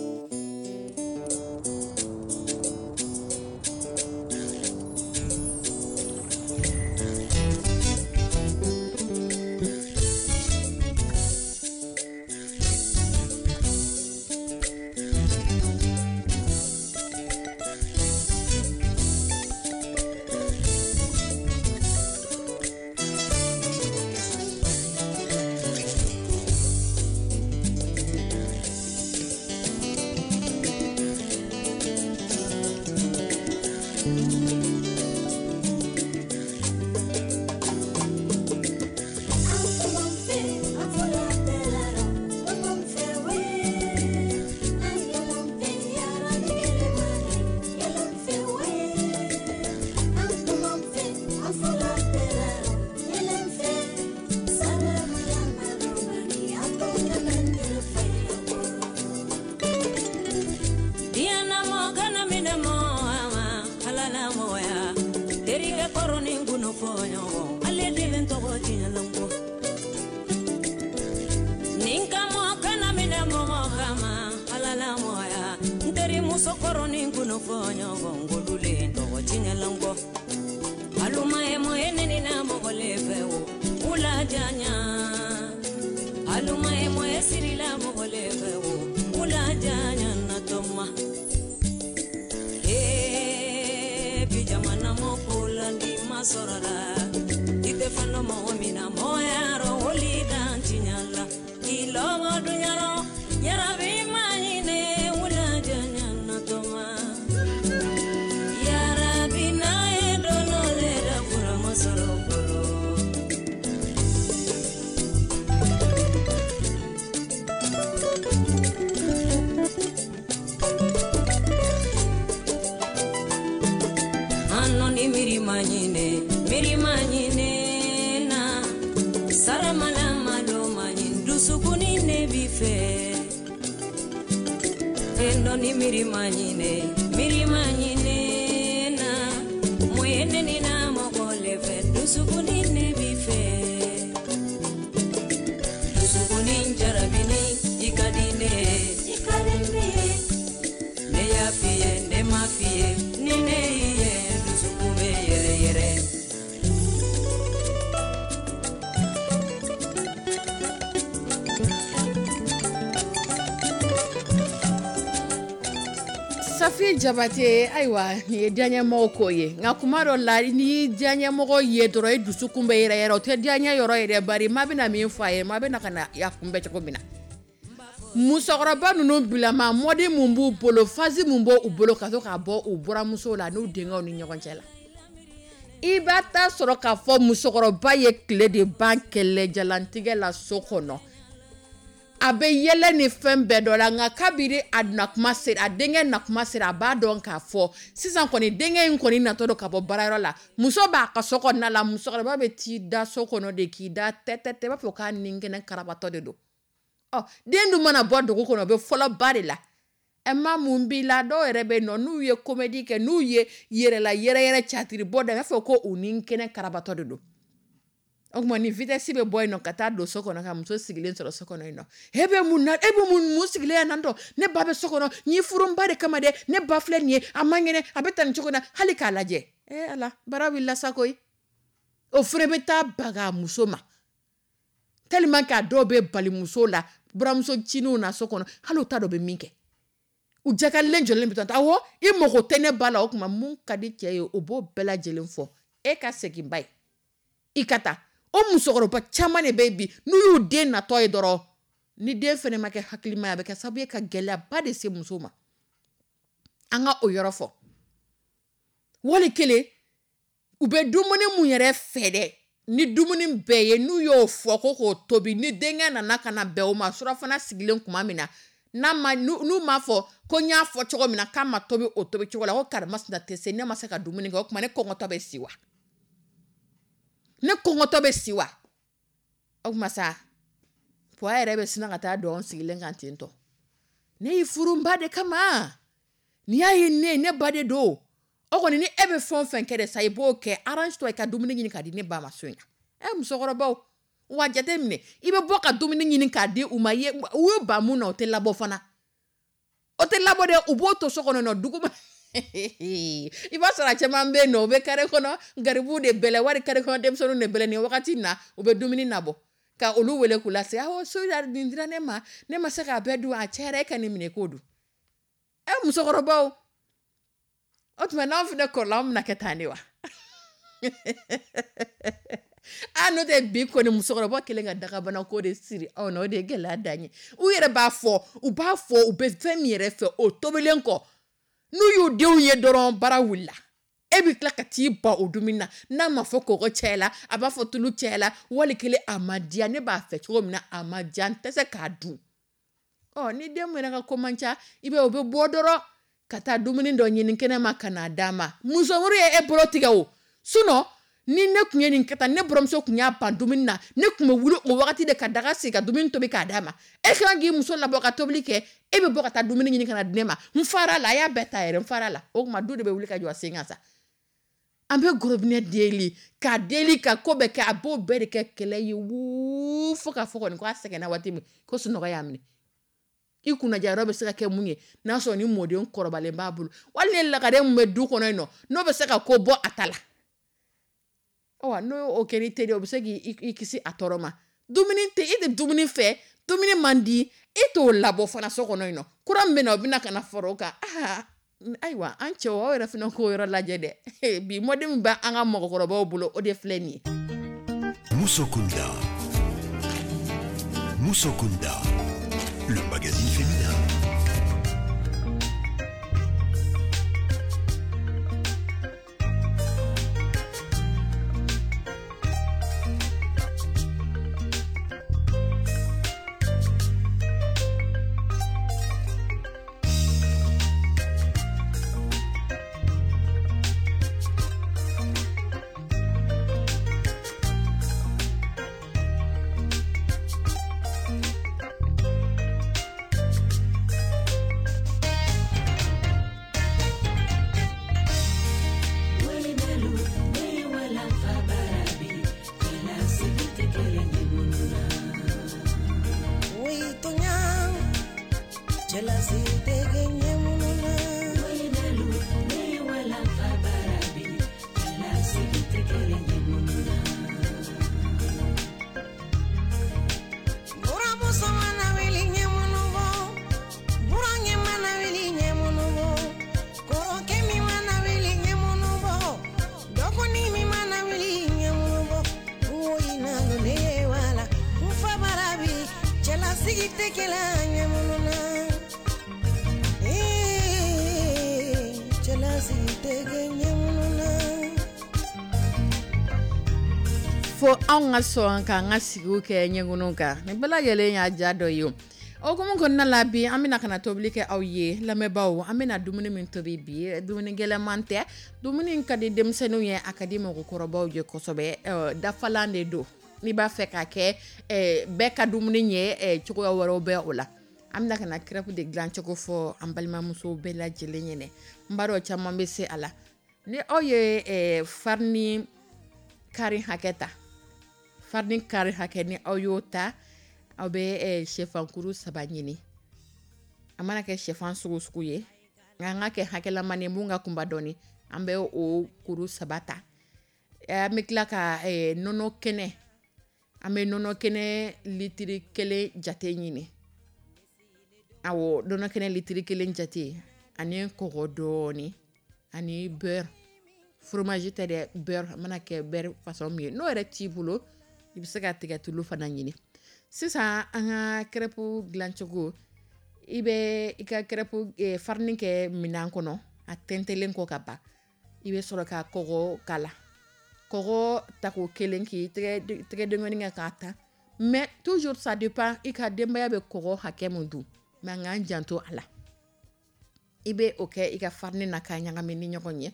Fɔɲɔgɔn ale de bɛ n tɔgɔ tiɲɛ la n kɔ nin kama kana minɛ mɔgɔ kama ala la mɔgɔya n terimuso kɔrɔ ni kun fɔɲɔgɔn k'olu le n tɔgɔ tiɲɛ la n kɔ aluma ye mɔ ye ne ni na mɔgɔ le fɛ o wula janya aluma ye mɔ ye sirila mɔgɔ le fɛ o wula janya na tɔma ee bi jamana mɔ ko la ni ma sɔrɔ la i tɛ fɛn dɔn mɔgɔ min na mɔgɔya rɔ woli dan tiɲɛ la k'i lɔbɔ dunya rɔ yarabi ma ɲinɛ wula janya na tɔma yarabi n'a ye don dɔ le da fura ma sɔrɔ bolo. Ano ni miri manyine, miri manyine na saramala malo manyin dusukuni ne bife. Endo ni miri manyine, miri manyine na moyene ni na mokole fe dusukuni ne bife. Dusukuni jarabini ikadine, ikadine. Ne y'a f'i ye, ne ma f'i ye, ni ne y'i ye, dusukun bɛ yɛrɛ yɛrɛ. Safi Jabate, ayiwa nin ye diyaɲɛmɔgɔ ko ye, nka kuma dɔ la n'i y'i diyaɲɛmɔgɔ ye dɔrɔn i dusukun bɛ yɛrɛ yɛrɛ, o tɛ diyaɲɛ yɔrɔ yɛrɛ, bari maa bɛna min fɔ a ye, maa bɛna ka na a kunbɛn cogo min na. Musokɔrɔba ninnu bilama mɔdi mun b'u bolo, fasi mun b'u bolo ka to k'a bɔ u buramuso la n'u denkɛw ni ɲɔgɔn cɛ la. I b'a ta sɔrɔ k'a fɔ musokɔrɔba ye tile de ban kɛlɛjalantigɛ la so kɔnɔ. A bɛ yɛlɛ ni fɛn bɛɛ dɔ la, nka kabiri a nakuma sera, a denkɛ nakuma sera, a b'a dɔn k'a fɔ sisan kɔni denkɛ in kɔni natɔ don ka bɔ baarayɔrɔ la. Muso b'a ka so kɔnɔna la, musokɔrɔba bɛ t'i da so kɔnɔ de k'i da tɛ tɛ tɛ, i b'a fɔ k'a ni kɛnɛ karabatɔ de don. Ɔ den dun mana bɔ dugu kɔnɔ, o bɛ fɔlɔ ba de la. Ɛ ma mun b'i la, dɔw yɛrɛ bɛ yen nɔ n'u ye comédie kɛ, n'u ye yɛrɛla yɛrɛ yɛrɛ catiri bɔ da, i b'a fɔ ko u ni kɛnɛ karabatɔ de don. O tuma ni vitesse bɛ bɔ yen nɔ ka taa don so kɔnɔ ka muso sigilen sɔrɔ so kɔnɔ yen nɔ. E bɛ mun na, e bɛ mun, mun sigilen yan nɔ? Ne ba bɛ so kɔnɔ, n y'i furu n ba de kama dɛ, ne ba filɛ nin ye, a man kɛnɛ, a bɛ tan nin cogo in na, hali k'a lajɛ. E Ala, baara wulila sa koyi. O fana bɛ taa baga muso ma. Tellement que a dɔw bɛ bali muso la, buramuso cininw na so kɔnɔ, hali u t'a dɔn u bɛ min kɛ. U jakalen jɔlen bɛ taa, awɔ, i mago tɛ ne ba la, o tuma mun ka di cɛ ye, o b'o bɛɛ lajɛlen fɔ. E ka segin ba ye, i ka taa. O musokɔrɔba caman de bɛ bi, n'u y'u den natɔ ye dɔrɔn, ni den fana ma kɛ hakilima ye, a bɛ kɛ sababu ye ka gɛlɛyaba de se muso ma. An ka o yɔrɔ fɔ. Wali kelen, u bɛ dumuni mun yɛrɛ fɛ dɛ, ni dumuni bɛɛ ye, n'u y'o fɔ ko k'o tobi, ni denkɛ nana ka na bɛn o ma, surafana sigilen tuma min na, n'a ma, n'u m'a fɔ ko n y'a fɔ cogo min na k'a ma tobi o tobi cogo la, ko karimasina tɛ se, ne ma se ka dumuni kɛ, o tuma ne kɔngɔtɔ bɛ si wa? Ne kɔngɔtɔ bɛ si wa? O tuma sa, pɔ yɛrɛ bɛ sina ka taa dɔn sigilen kan ten tɔ. Ne y'i furu n ba de kama. N'i y'a ye ne, ne ba de don. O kɔni ni e bɛ fɛn o fɛn kɛ de sa, i b'o kɛ. Arrange toi i ka dumuni ɲini k'a di ne ba ma so in na. Ɛ musokɔrɔbaw, wa jate minɛ, i bɛ bɔ ka dumuni ɲini k'a di u ma, ye, u ye ba mun na, o tɛ labɔ fana. O tɛ labɔ dɛ, u b'o to so kɔnɔ nɔ, dugu ma. I b'a sɔrɔ a caman bɛ yen nɔ, u bɛ carré kɔnɔ, garibuw de bɛlɛ, wari carré kɔnɔ denmisɛnninw de bɛlɛ nin wagati in na, u bɛ dumuni nabɔ. Ka olu wele k'u lase, awɔ, so nin dira ne ma, ne ma se k'a bɛɛ dun, a cayara, e ka nin minɛ k'o dun. Ɛ musokɔrɔbaw, o tuma n'anw fana kɔrɔla, anw bɛna kɛ tan de wa? A n'o tɛ bi kɔni musokɔrɔba kelen ka dagabana ko de siri anw na, o de ye gɛlɛya dan ye. U yɛrɛ b'a fɔ, u b'a fɔ, u bɛ fɛn min yɛrɛ fɛ, o tobilen kɔ, n'u y'u denw ye dɔrɔn, baara wulila. E bɛ tila ka t'i ban o dumuni na, n'a ma fɔ kɔgɔ cayala, a b'a fɔ tulu cayala, wali kelen a ma diya, ne b'a fɛ cogo min na, a ma diya, n tɛ se k'a dun. Ɔ ni den min yɛrɛ ka ko man ca, i b'a ye o bɛ bɔ dɔrɔn ka taa dumuni dɔ ɲini kɛnɛ ma ka n'a d'a ma. Musomuru ye e bolo tigɛ o. Sinon ni ne tun ye nin kɛ tan, ne buramuso tun y'a ban dumuni na, ne tun bɛ wuli o wagati de ka daga sigi ka dumuni tobi k'a d'a ma. E kan k'i muso labɔ ka tobili kɛ, e bɛ bɔ ka taa dumuni ɲini ka na di ne ma. N fara la, a y'a bɛɛ ta yɛrɛ, n fara la. O tuma du de bɛ wuli ka jɔ a sen kan sa. An bɛ robinet deli k'a deli ka ko bɛɛ kɛ, a b'o bɛɛ de kɛ kɛlɛ ye wuuu fo k'a fɔ kɔni k'a sɛgɛnna waati min ko sunɔgɔ y'a minɛ. I kunnaja yɔrɔ bɛ se ka kɛ mun ye n'a sɔrɔ ni mɔden kɔrɔbalen b'a bolo wali ni lagare min bɛ du kɔnɔ yen nɔ n'o bɛ se ka ko bɔ a ta la. Ɔ n'o o kɛra i teri ye, o bɛ se k'i kisi a tɔɔrɔ ma. Dumuni tɛ e tɛ dumuni fɛ, dumuni man di e t'o labɔ fana so kɔnɔ yen nɔ, kura min bɛ na o bɛna ka na fara o kan. Aa ayiwa an cɛw, aw yɛrɛ fana k'o yɔrɔ lajɛ dɛ. Bi mɔden min bɛ an ka mɔgɔkɔrɔbaw bolo, o de filɛ nin ye. Musokunda. Musokunda. Le magazine féminin. Fo anw ka sɔn k'an ka sigiw kɛ ɲɛkunu kan, nin bɛɛ lajɛlen y'a ja dɔ ye. O hukumu kɔnɔna la bi, an bɛna ka na tobili kɛ aw ye lamɛnbaaw. An bɛna dumuni min tobi bi, dumuni gɛlɛnman tɛ, dumuni ka di denmisɛnninw ye, a ka di mɔgɔkɔrɔbaw ye kosɛbɛ. Dafalan de don, n'i b'a fɛ k'a kɛ bɛɛ ka dumuni ye, cogoya wɛrɛw bɛ o la. An bɛna ka na crêpe de dilancogo fɔ an balimamusow bɛɛ lajɛlen ɲɛnɛ. N b'a dɔn caman bɛ se a la. Ni aw ye farini kari hakɛ ta, farini kari hakɛ ni aw y'o ta, aw bɛ sɛfankuru saba ɲini. A mana kɛ sɛfan sugu sugu ye, nka an ka kɛ hakɛlama ye mun ka kunba dɔɔni, an bɛ o kuru saba ta. An bɛ tila ka nɔnɔ kɛnɛ, an bɛ nɔnɔ kɛnɛ litiri kelen jate ɲini. Awɔ, nɔnɔ kɛnɛ litiri kelen jate, ani kɔgɔ dɔɔni, ani beurre, fromage tɛ dɛ, beurre, a mana kɛ beurre façon min ye, n'o yɛrɛ t'i bolo, i bɛ se ka tigɛtulu fana ɲini. Sisan an ka crêpe dilancogo, i bɛ i ka crêpe farine kɛ minɛn kɔnɔ, a tɛntɛlen kɔ ka ban, i bɛ sɔrɔ ka kɔgɔ k'a la. Kɔgɔ tako kelen k'i tɛgɛ denkɔni kɛ k'a ta, mais toujours ça dépend i ka denbaya bɛ kɔgɔ hakɛ min dun, mais an k'an janto a la. I bɛ o kɛ i ka farine na k'a ɲagami ni ɲɔgɔn ye.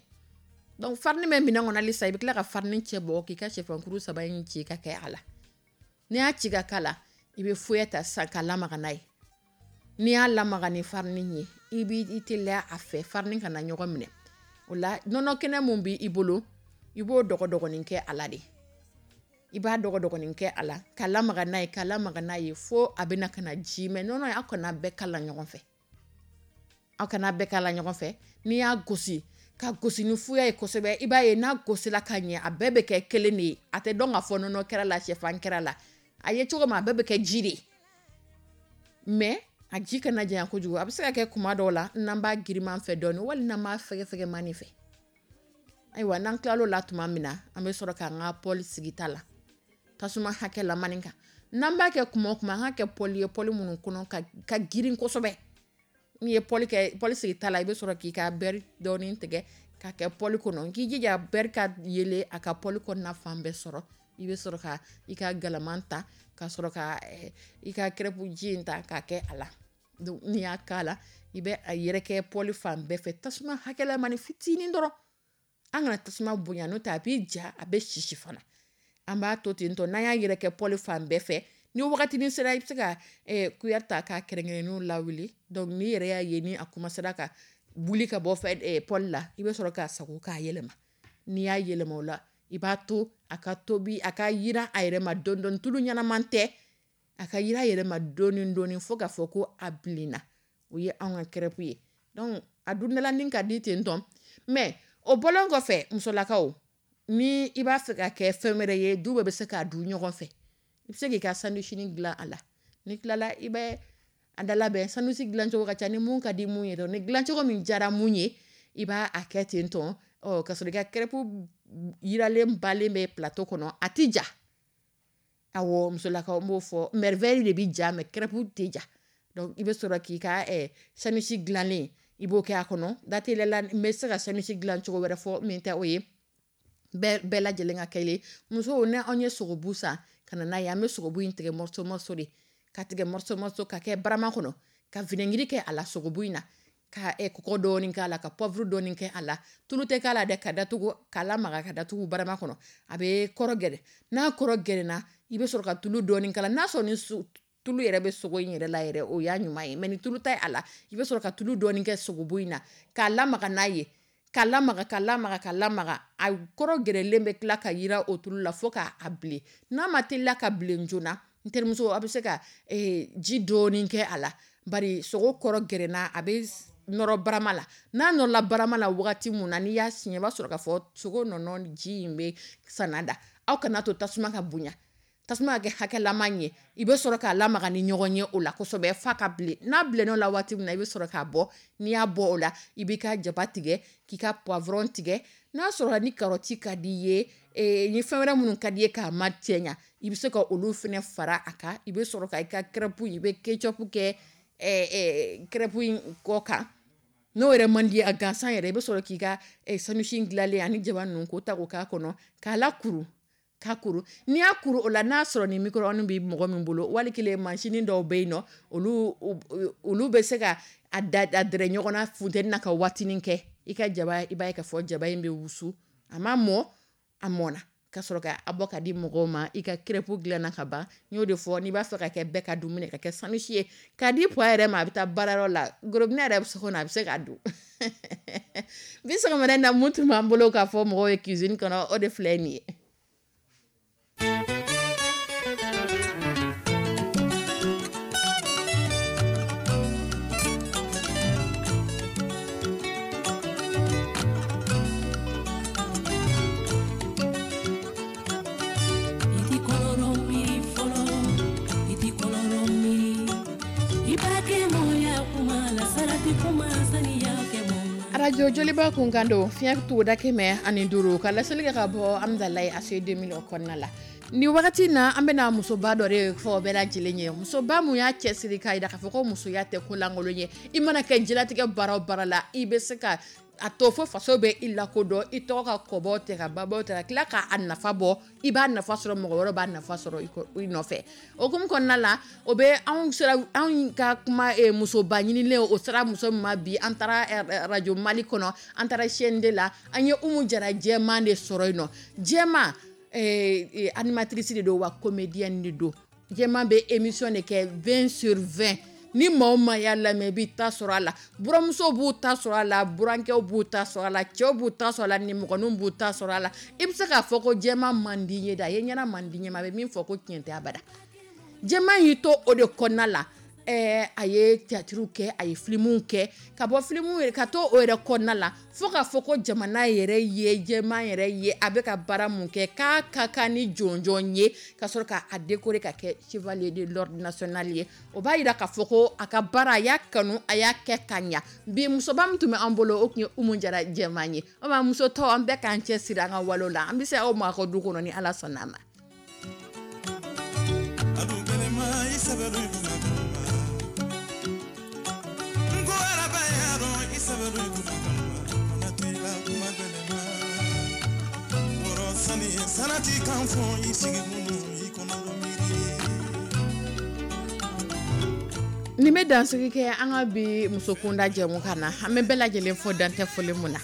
Donc farine bɛ minɛn kɔnɔ halisa, i bɛ tila ka farine cɛ bɔ k'i ka sɛfankuru saba in ci ka kɛ a la. N'i y'a ci ka k'a la, i bɛ foyer ta sisan k'a lamaga n'a ye. N'i y'a lamaga ni farine ye, i b'i teliya a fɛ farine kana ɲɔgɔn minɛ. O la nɔnɔ kɛnɛ mun b'i bolo, i b'o dɔgɔdɔgɔnin kɛ a la de. I b'a dɔgɔdɔgɔnin kɛ a la k'a lamaga n'a ye, k'a lamaga n'a ye fo a bɛna ka na ji. Mais nɔnɔ, aw kana bɛɛ k'a la ɲɔgɔn fɛ. Aw kana bɛɛ k'a la ɲɔgɔn fɛ. N'i y'a gosi, ka gosi ni fuya ye kosɛbɛ, i b'a ye n'a gosila ka ɲɛ, a bɛɛ bɛ kɛ kelen de ye. A tɛ dɔn k'a fɔ nɔnɔ kɛra la, sɛfan kɛra la. A ye cogo min, a bɛɛ bɛ kɛ ji de ye. Mais a ji kana janya kojugu. A bɛ se ka kɛ kuma dɔw la n'an b'a giriman fɛ dɔɔni, wali n'an b'a fɛgɛfɛgɛmani fɛ. Ayiwa, n'an tilal'o la tuma min na, an bɛ sɔrɔ k'an ka poêle sigi ta la, tasuma hakɛ lamani kan. N'an b'a kɛ kuma o kuma, an k'a kɛ poêle ye, poêle minnu kɔnɔ ka, ka girin kosɛbɛ. N'i ye poêle kɛ, poêle sigi ta la, i bɛ sɔrɔ k'i ka beurre dɔɔni tigɛ k'a kɛ poêle kɔnɔ. K'i jija beurre ka yelen a ka poêle kɔnɔna fan bɛɛ sɔrɔ. I bɛ sɔrɔ ka i ka galaman ta, ka sɔrɔ ka i ka crêpe ji in ta k'a kɛ a la. Donc n'i y'a k'a la, i bɛ a yɛrɛkɛ poêle fan bɛɛ fɛ, tasuma hakɛlamani fitinin dɔrɔn. An kana tasuma bonya, n'o tɛ a b'i ja, a bɛ sisi fana. An b'a to ten tɔ, n'an y'a yɛrɛkɛ poêle fan bɛɛ fɛ, ni wagatinin sera, i bɛ se ka cuillère ta k'a kɛrɛnkɛrɛnnenw lawuli. Donc n'i yɛrɛ y'a ye ni a commencera ka wuli ka bɔ fɛ poêle la, i bɛ sɔrɔ k'a sago k'a yɛlɛma. N'i y'a yɛlɛma o la, i b'a to a ka tobi, a ka yiran a yɛrɛ ma dɔɔni dɔɔni, tulu ɲɛnaman tɛ, a ka yiran a yɛrɛ ma dɔɔni dɔɔni fo k'a fɔ ko a bilenna. O ye anw ka crêpe ye. Donc a dundala ka di ten tɔ. Mais o bɔlen kɔfɛ, musolakaw, ni i b'a fɛ ka kɛ fɛn wɛrɛ ye, du bɛɛ bɛ se k'a dun ɲɔgɔn fɛ. I bɛ se k'i ka sandwich dilan a la. N'i tilala, i bɛ a da labɛn. Sandwich dilancogo ka ca, ni mun ka di mun ye, ni dilancogo min diyara mun ye, i b'a a kɛ ten tɔ. Ɔ ka sɔrɔ i ka crêpe yiralen balen bɛ plateau kɔnɔ, a ti ja. Awɔ, musolakaw, n b'o fɔ, merveille de bɛ ja, mais crêpe tɛ ja. Donc i bɛ sɔrɔ k'i ka sandwich dilannen, i b'o kɛ a kɔnɔ. Dateliya la, n bɛ se ka sandwich dilan cogo wɛrɛ fɔ min tɛ o ye, bɛɛ bɛɛ lajɛlen ka kelen. Musow, ni anw ye sogobu san ka na n'a ye, an bɛ sogobu in tigɛ morceau morceau de, ka tigɛ morceau morceau ka kɛ barama kɔnɔ, ka vinaigre kɛ a la sogobu in na, ka kɔgɔ dɔɔni k'a la, ka poivre dɔɔni kɛ a la. Tulu tɛ k'a la dɛ, ka datugu, k'a lamaga ka datugu barama kɔnɔ. A bɛ kɔrɔ gɛrɛ. N'a kɔrɔ gɛrɛna, i bɛ sɔrɔ ka tulu dɔɔni k'a la. N'a sɔrɔ ni tulu yɛrɛ bɛ sogo in yɛrɛ la yɛrɛ, o y'a ɲuman ye, mais ni tulu tɛ a la, i bɛ sɔrɔ ka tulu dɔɔni kɛ sogobu in na, k'a lamaga n'a ye, k'a lamaga, k'a lamaga, k'a lamaga. A kɔrɔ gɛrɛlen bɛ tila ka yira o tulu la fo k'a bilen. N'a ma teliya ka bilen joona, n terimuso, a bɛ se ka ji dɔɔni kɛ a la, bari sogo kɔrɔ gɛrɛna, a bɛ nɔrɔ barama la. N'a nɔrɔla barama la wagati mun na, n'i y'a siɲɛ, i b'a sɔrɔ k'a fɔ sogo nɔnɔ ji in bɛ sanna da. Aw kana to tasuma ka bonya, tasuma ka kɛ hakɛlama ye. I bɛ sɔrɔ k'a lamaga ni ɲɔgɔn ye o la kosɛbɛ f'a ka bilen. N'a bilenn'o la waati min na, i bɛ sɔrɔ k'a bɔ. N'i y'a bɔ o la, i b'i ka jaba tigɛ, k'i ka poivron tigɛ. N'a sɔrɔ ni carotte ka di i ye, ni fɛn wɛrɛ minnu ka di i ye k'a ma cɛ ɲɛ, i bɛ se ka olu fana fara a kan. I bɛ sɔrɔ ka i ka crêpe, i bɛ ketchup kɛ crêpe in kɔ kan. N'o yɛrɛ man di a gansan yɛrɛ, i bɛ sɔrɔ k'i ka sandwich dilanlen ani jaba ninnu k'o ta k'o k'a kɔnɔ, k'a lakuru, k'a kuru. N'i y'a kuru o la, n'a sɔrɔ ni micro-ondes bɛ mɔgɔ min bolo, wali kelen mansin dɔw bɛ yen nɔ, olu olu bɛ se ka a da a dɛrɛ ɲɔgɔn na funteni na ka waatinin kɛ. I ka jaba, i b'a ye k'a fɔ jaba in bɛ wusu, a ma mɔ, a mɔna, ka sɔrɔ ka a bɔ ka di mɔgɔw ma. I ka crêpe dilanna ka ban. N y'o de fɔ, n'i b'a fɛ ka kɛ bɛɛ ka dumuni, ka kɛ sandwich ye, k'a di pɔ yɛrɛ ma, a bɛ taa baarayɔrɔ la, gorobinɛ yɛrɛ bɛ so kɔnɔ, a bɛ se k'a dun. Bi sɔgɔmada in na, mun tun b'an bolo k'a fɔ mɔgɔw ye cuisine kɔnɔ, o de filɛ nin ye. Arajo Joliba kun kan don, fiɲɛ tuguda kɛmɛ ani duuru, ka laseli kɛ ka bɔ Amidalayi A C deux mille kɔnɔna la. Ni wagati na, an bɛna musoba dɔ de fɔ bɛɛ lajɛlen ye, musoba mun y'a cɛsiri k'a jira k'a fɔ ko musoya tɛ ko lankolon ye. I mana kɛ diɲɛlatigɛ baara o baara la, i bɛ se ka a to fo faso bɛ i lakodɔn, i tɔgɔ ka kɔbɔ tɛ ka babɔ tɛ ka tila k'a nafa bɔ, i b'a nafa sɔrɔ, mɔgɔ wɛrɛ b'a nafa sɔrɔ i nɔfɛ. O hukumu kɔnɔna la, o bɛ anw sera anw ka kuma musoba ɲinilen, o sera muso min ma bi, an taara arajo Mali kɔnɔ, an taara C N D la, an ye Umu Jara Jɛman de sɔrɔ yen nɔ. Jɛman animatrice de don, wa comédienne de don. Jɛman bɛ émission de kɛ vingt sur vingt. Ni maa o maa y'a lamɛn, i b'i ta sɔrɔ a la. Buramusow b'u ta sɔrɔ a la, burankɛw b'u ta sɔrɔ a la, cɛw b'u ta sɔrɔ a la, nimɔgɔninw b'u ta sɔrɔ a la. I bɛ se k'a fɔ ko jɛman man di n ye dɛ, a ye ɲɛna man di n ye, a bɛ min fɔ ko tiɲɛ tɛ abada. Jɛman y'i to o de kɔnɔna la, ɛɛ a ye théâtre kɛ, a ye films kɛ, ka bɔ film ka to o yɛrɛ kɔnɔna la, fo k'a fɔ ko jamana yɛrɛ ye jɛman yɛrɛ ye, a bɛ ka baara mun kɛ, k'a ka kan ni jɔnjɔn ye, ka sɔrɔ k'a décorer ka kɛ chevalier de l'ordre national ye. O b'a jira k'a fɔ ko a ka baara, a y'a kanu, a y'a kɛ ka ɲa. Bi musoba min tun bɛ an bolo, o tun ye Umu Jara Jɛman ye. O ma muso tɔw, an bɛɛ k'an cɛ siri an ka walew la. An bɛ se aw ma aw ka du kɔnɔ ni Ala sɔnna a ma. Nin bɛ dansigi kɛ an ka bi musokunda jɛmukan na. An bɛ bɛɛ lajɛlen fɔ, dantɛ foli mun na.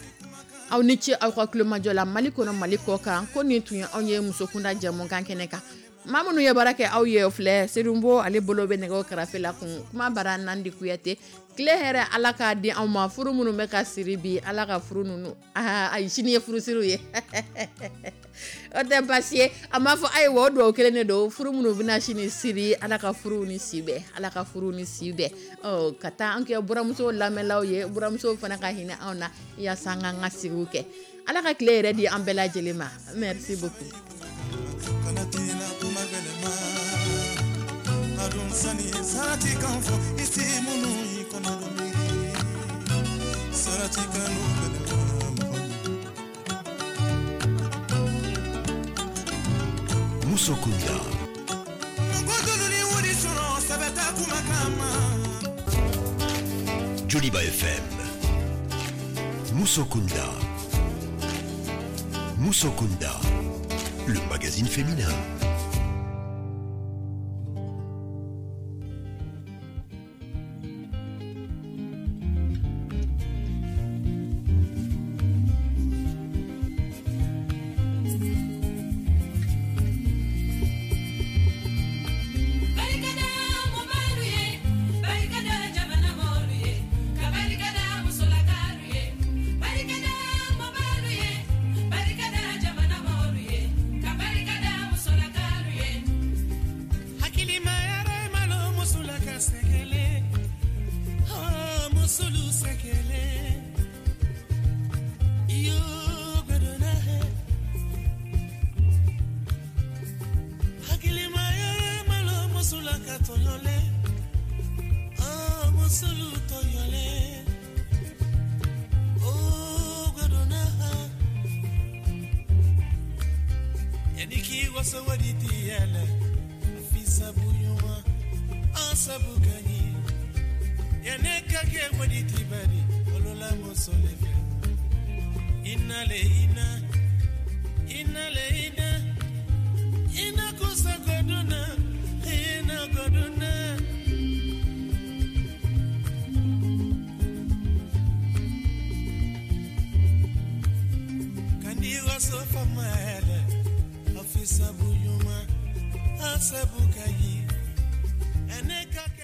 Aw ni ce aw ka tulomajɔ la, Mali kɔnɔ, Mali kɔ kan. Ko nin tun ye anw ye musokunda jɛmukan kɛnɛ kan. Maa minnu ye baara kɛ aw ye, o filɛ Serunbo, ale bolo bɛ nɛgɛw karafe la kun. Kuma bara Nandi Kuyate. Tile hɛrɛ, Ala k'a di anw ma. Furu minnu bɛ ka siri bi, Ala ka furu ninnu, ayi, sini ye furusiriw ye, o tɛ baasi ye. A m'a fɔ ayiwa, o dugawu kelen de don. Furu minnu bɛna sini siri, Ala ka furu ni si bɛn, Ala ka furu ni si bɛn. Ɔ ka taa an kɛ buramuso lamɛnlaw ye, buramuso fana ka hinɛ anw na yaasa an k'an ka sigiw kɛ. Ala ka tile yɛrɛ di an bɛɛ lajɛlen ma. Merci beaucoup. Kana tila kuma gɛlɛma adun sani sarati kan fɔ i si minnu i kɔnɔ miiri sarati kanu gɛlɛma mɔgɔ. Musokunda. Mɔgɔ dɔlu ni wari sɔrɔ sɛbɛ t'a kuma kama. Joliba F M. Musokunda. Musokunda. Le magazine féminin. Barikada mɔbalu ye, barikada jamana mɔlu ye, ka barikada musolakalu ye. Barikada mɔbalu ye, barikada jamana mɔlu ye, ka barikada musolakalu ye. Hakilima yɛrɛ malo musola ka sɛgɛlɛ, oh, musolu sɛgɛlɛ iyo gbɛdɔnna hɛ. Hakilima yɛrɛ malo musola ka tɔɲɔlɛ, oh, musolu tɔɲɔlɛ, oh, gbɛdɔnna ha. Yani k'i waso wari ti yɛlɛ a fi sabu ɲuman an sabu ka ɲi yanni ka kɛ wari ti bari olola muso le fɛ ina le ina ina le ina ina kusa goduna ina goduna. Kandi waso fama yɛlɛ a fi sabu ɲuman an sabu ka ɲi ɛnɛ ka kɛ.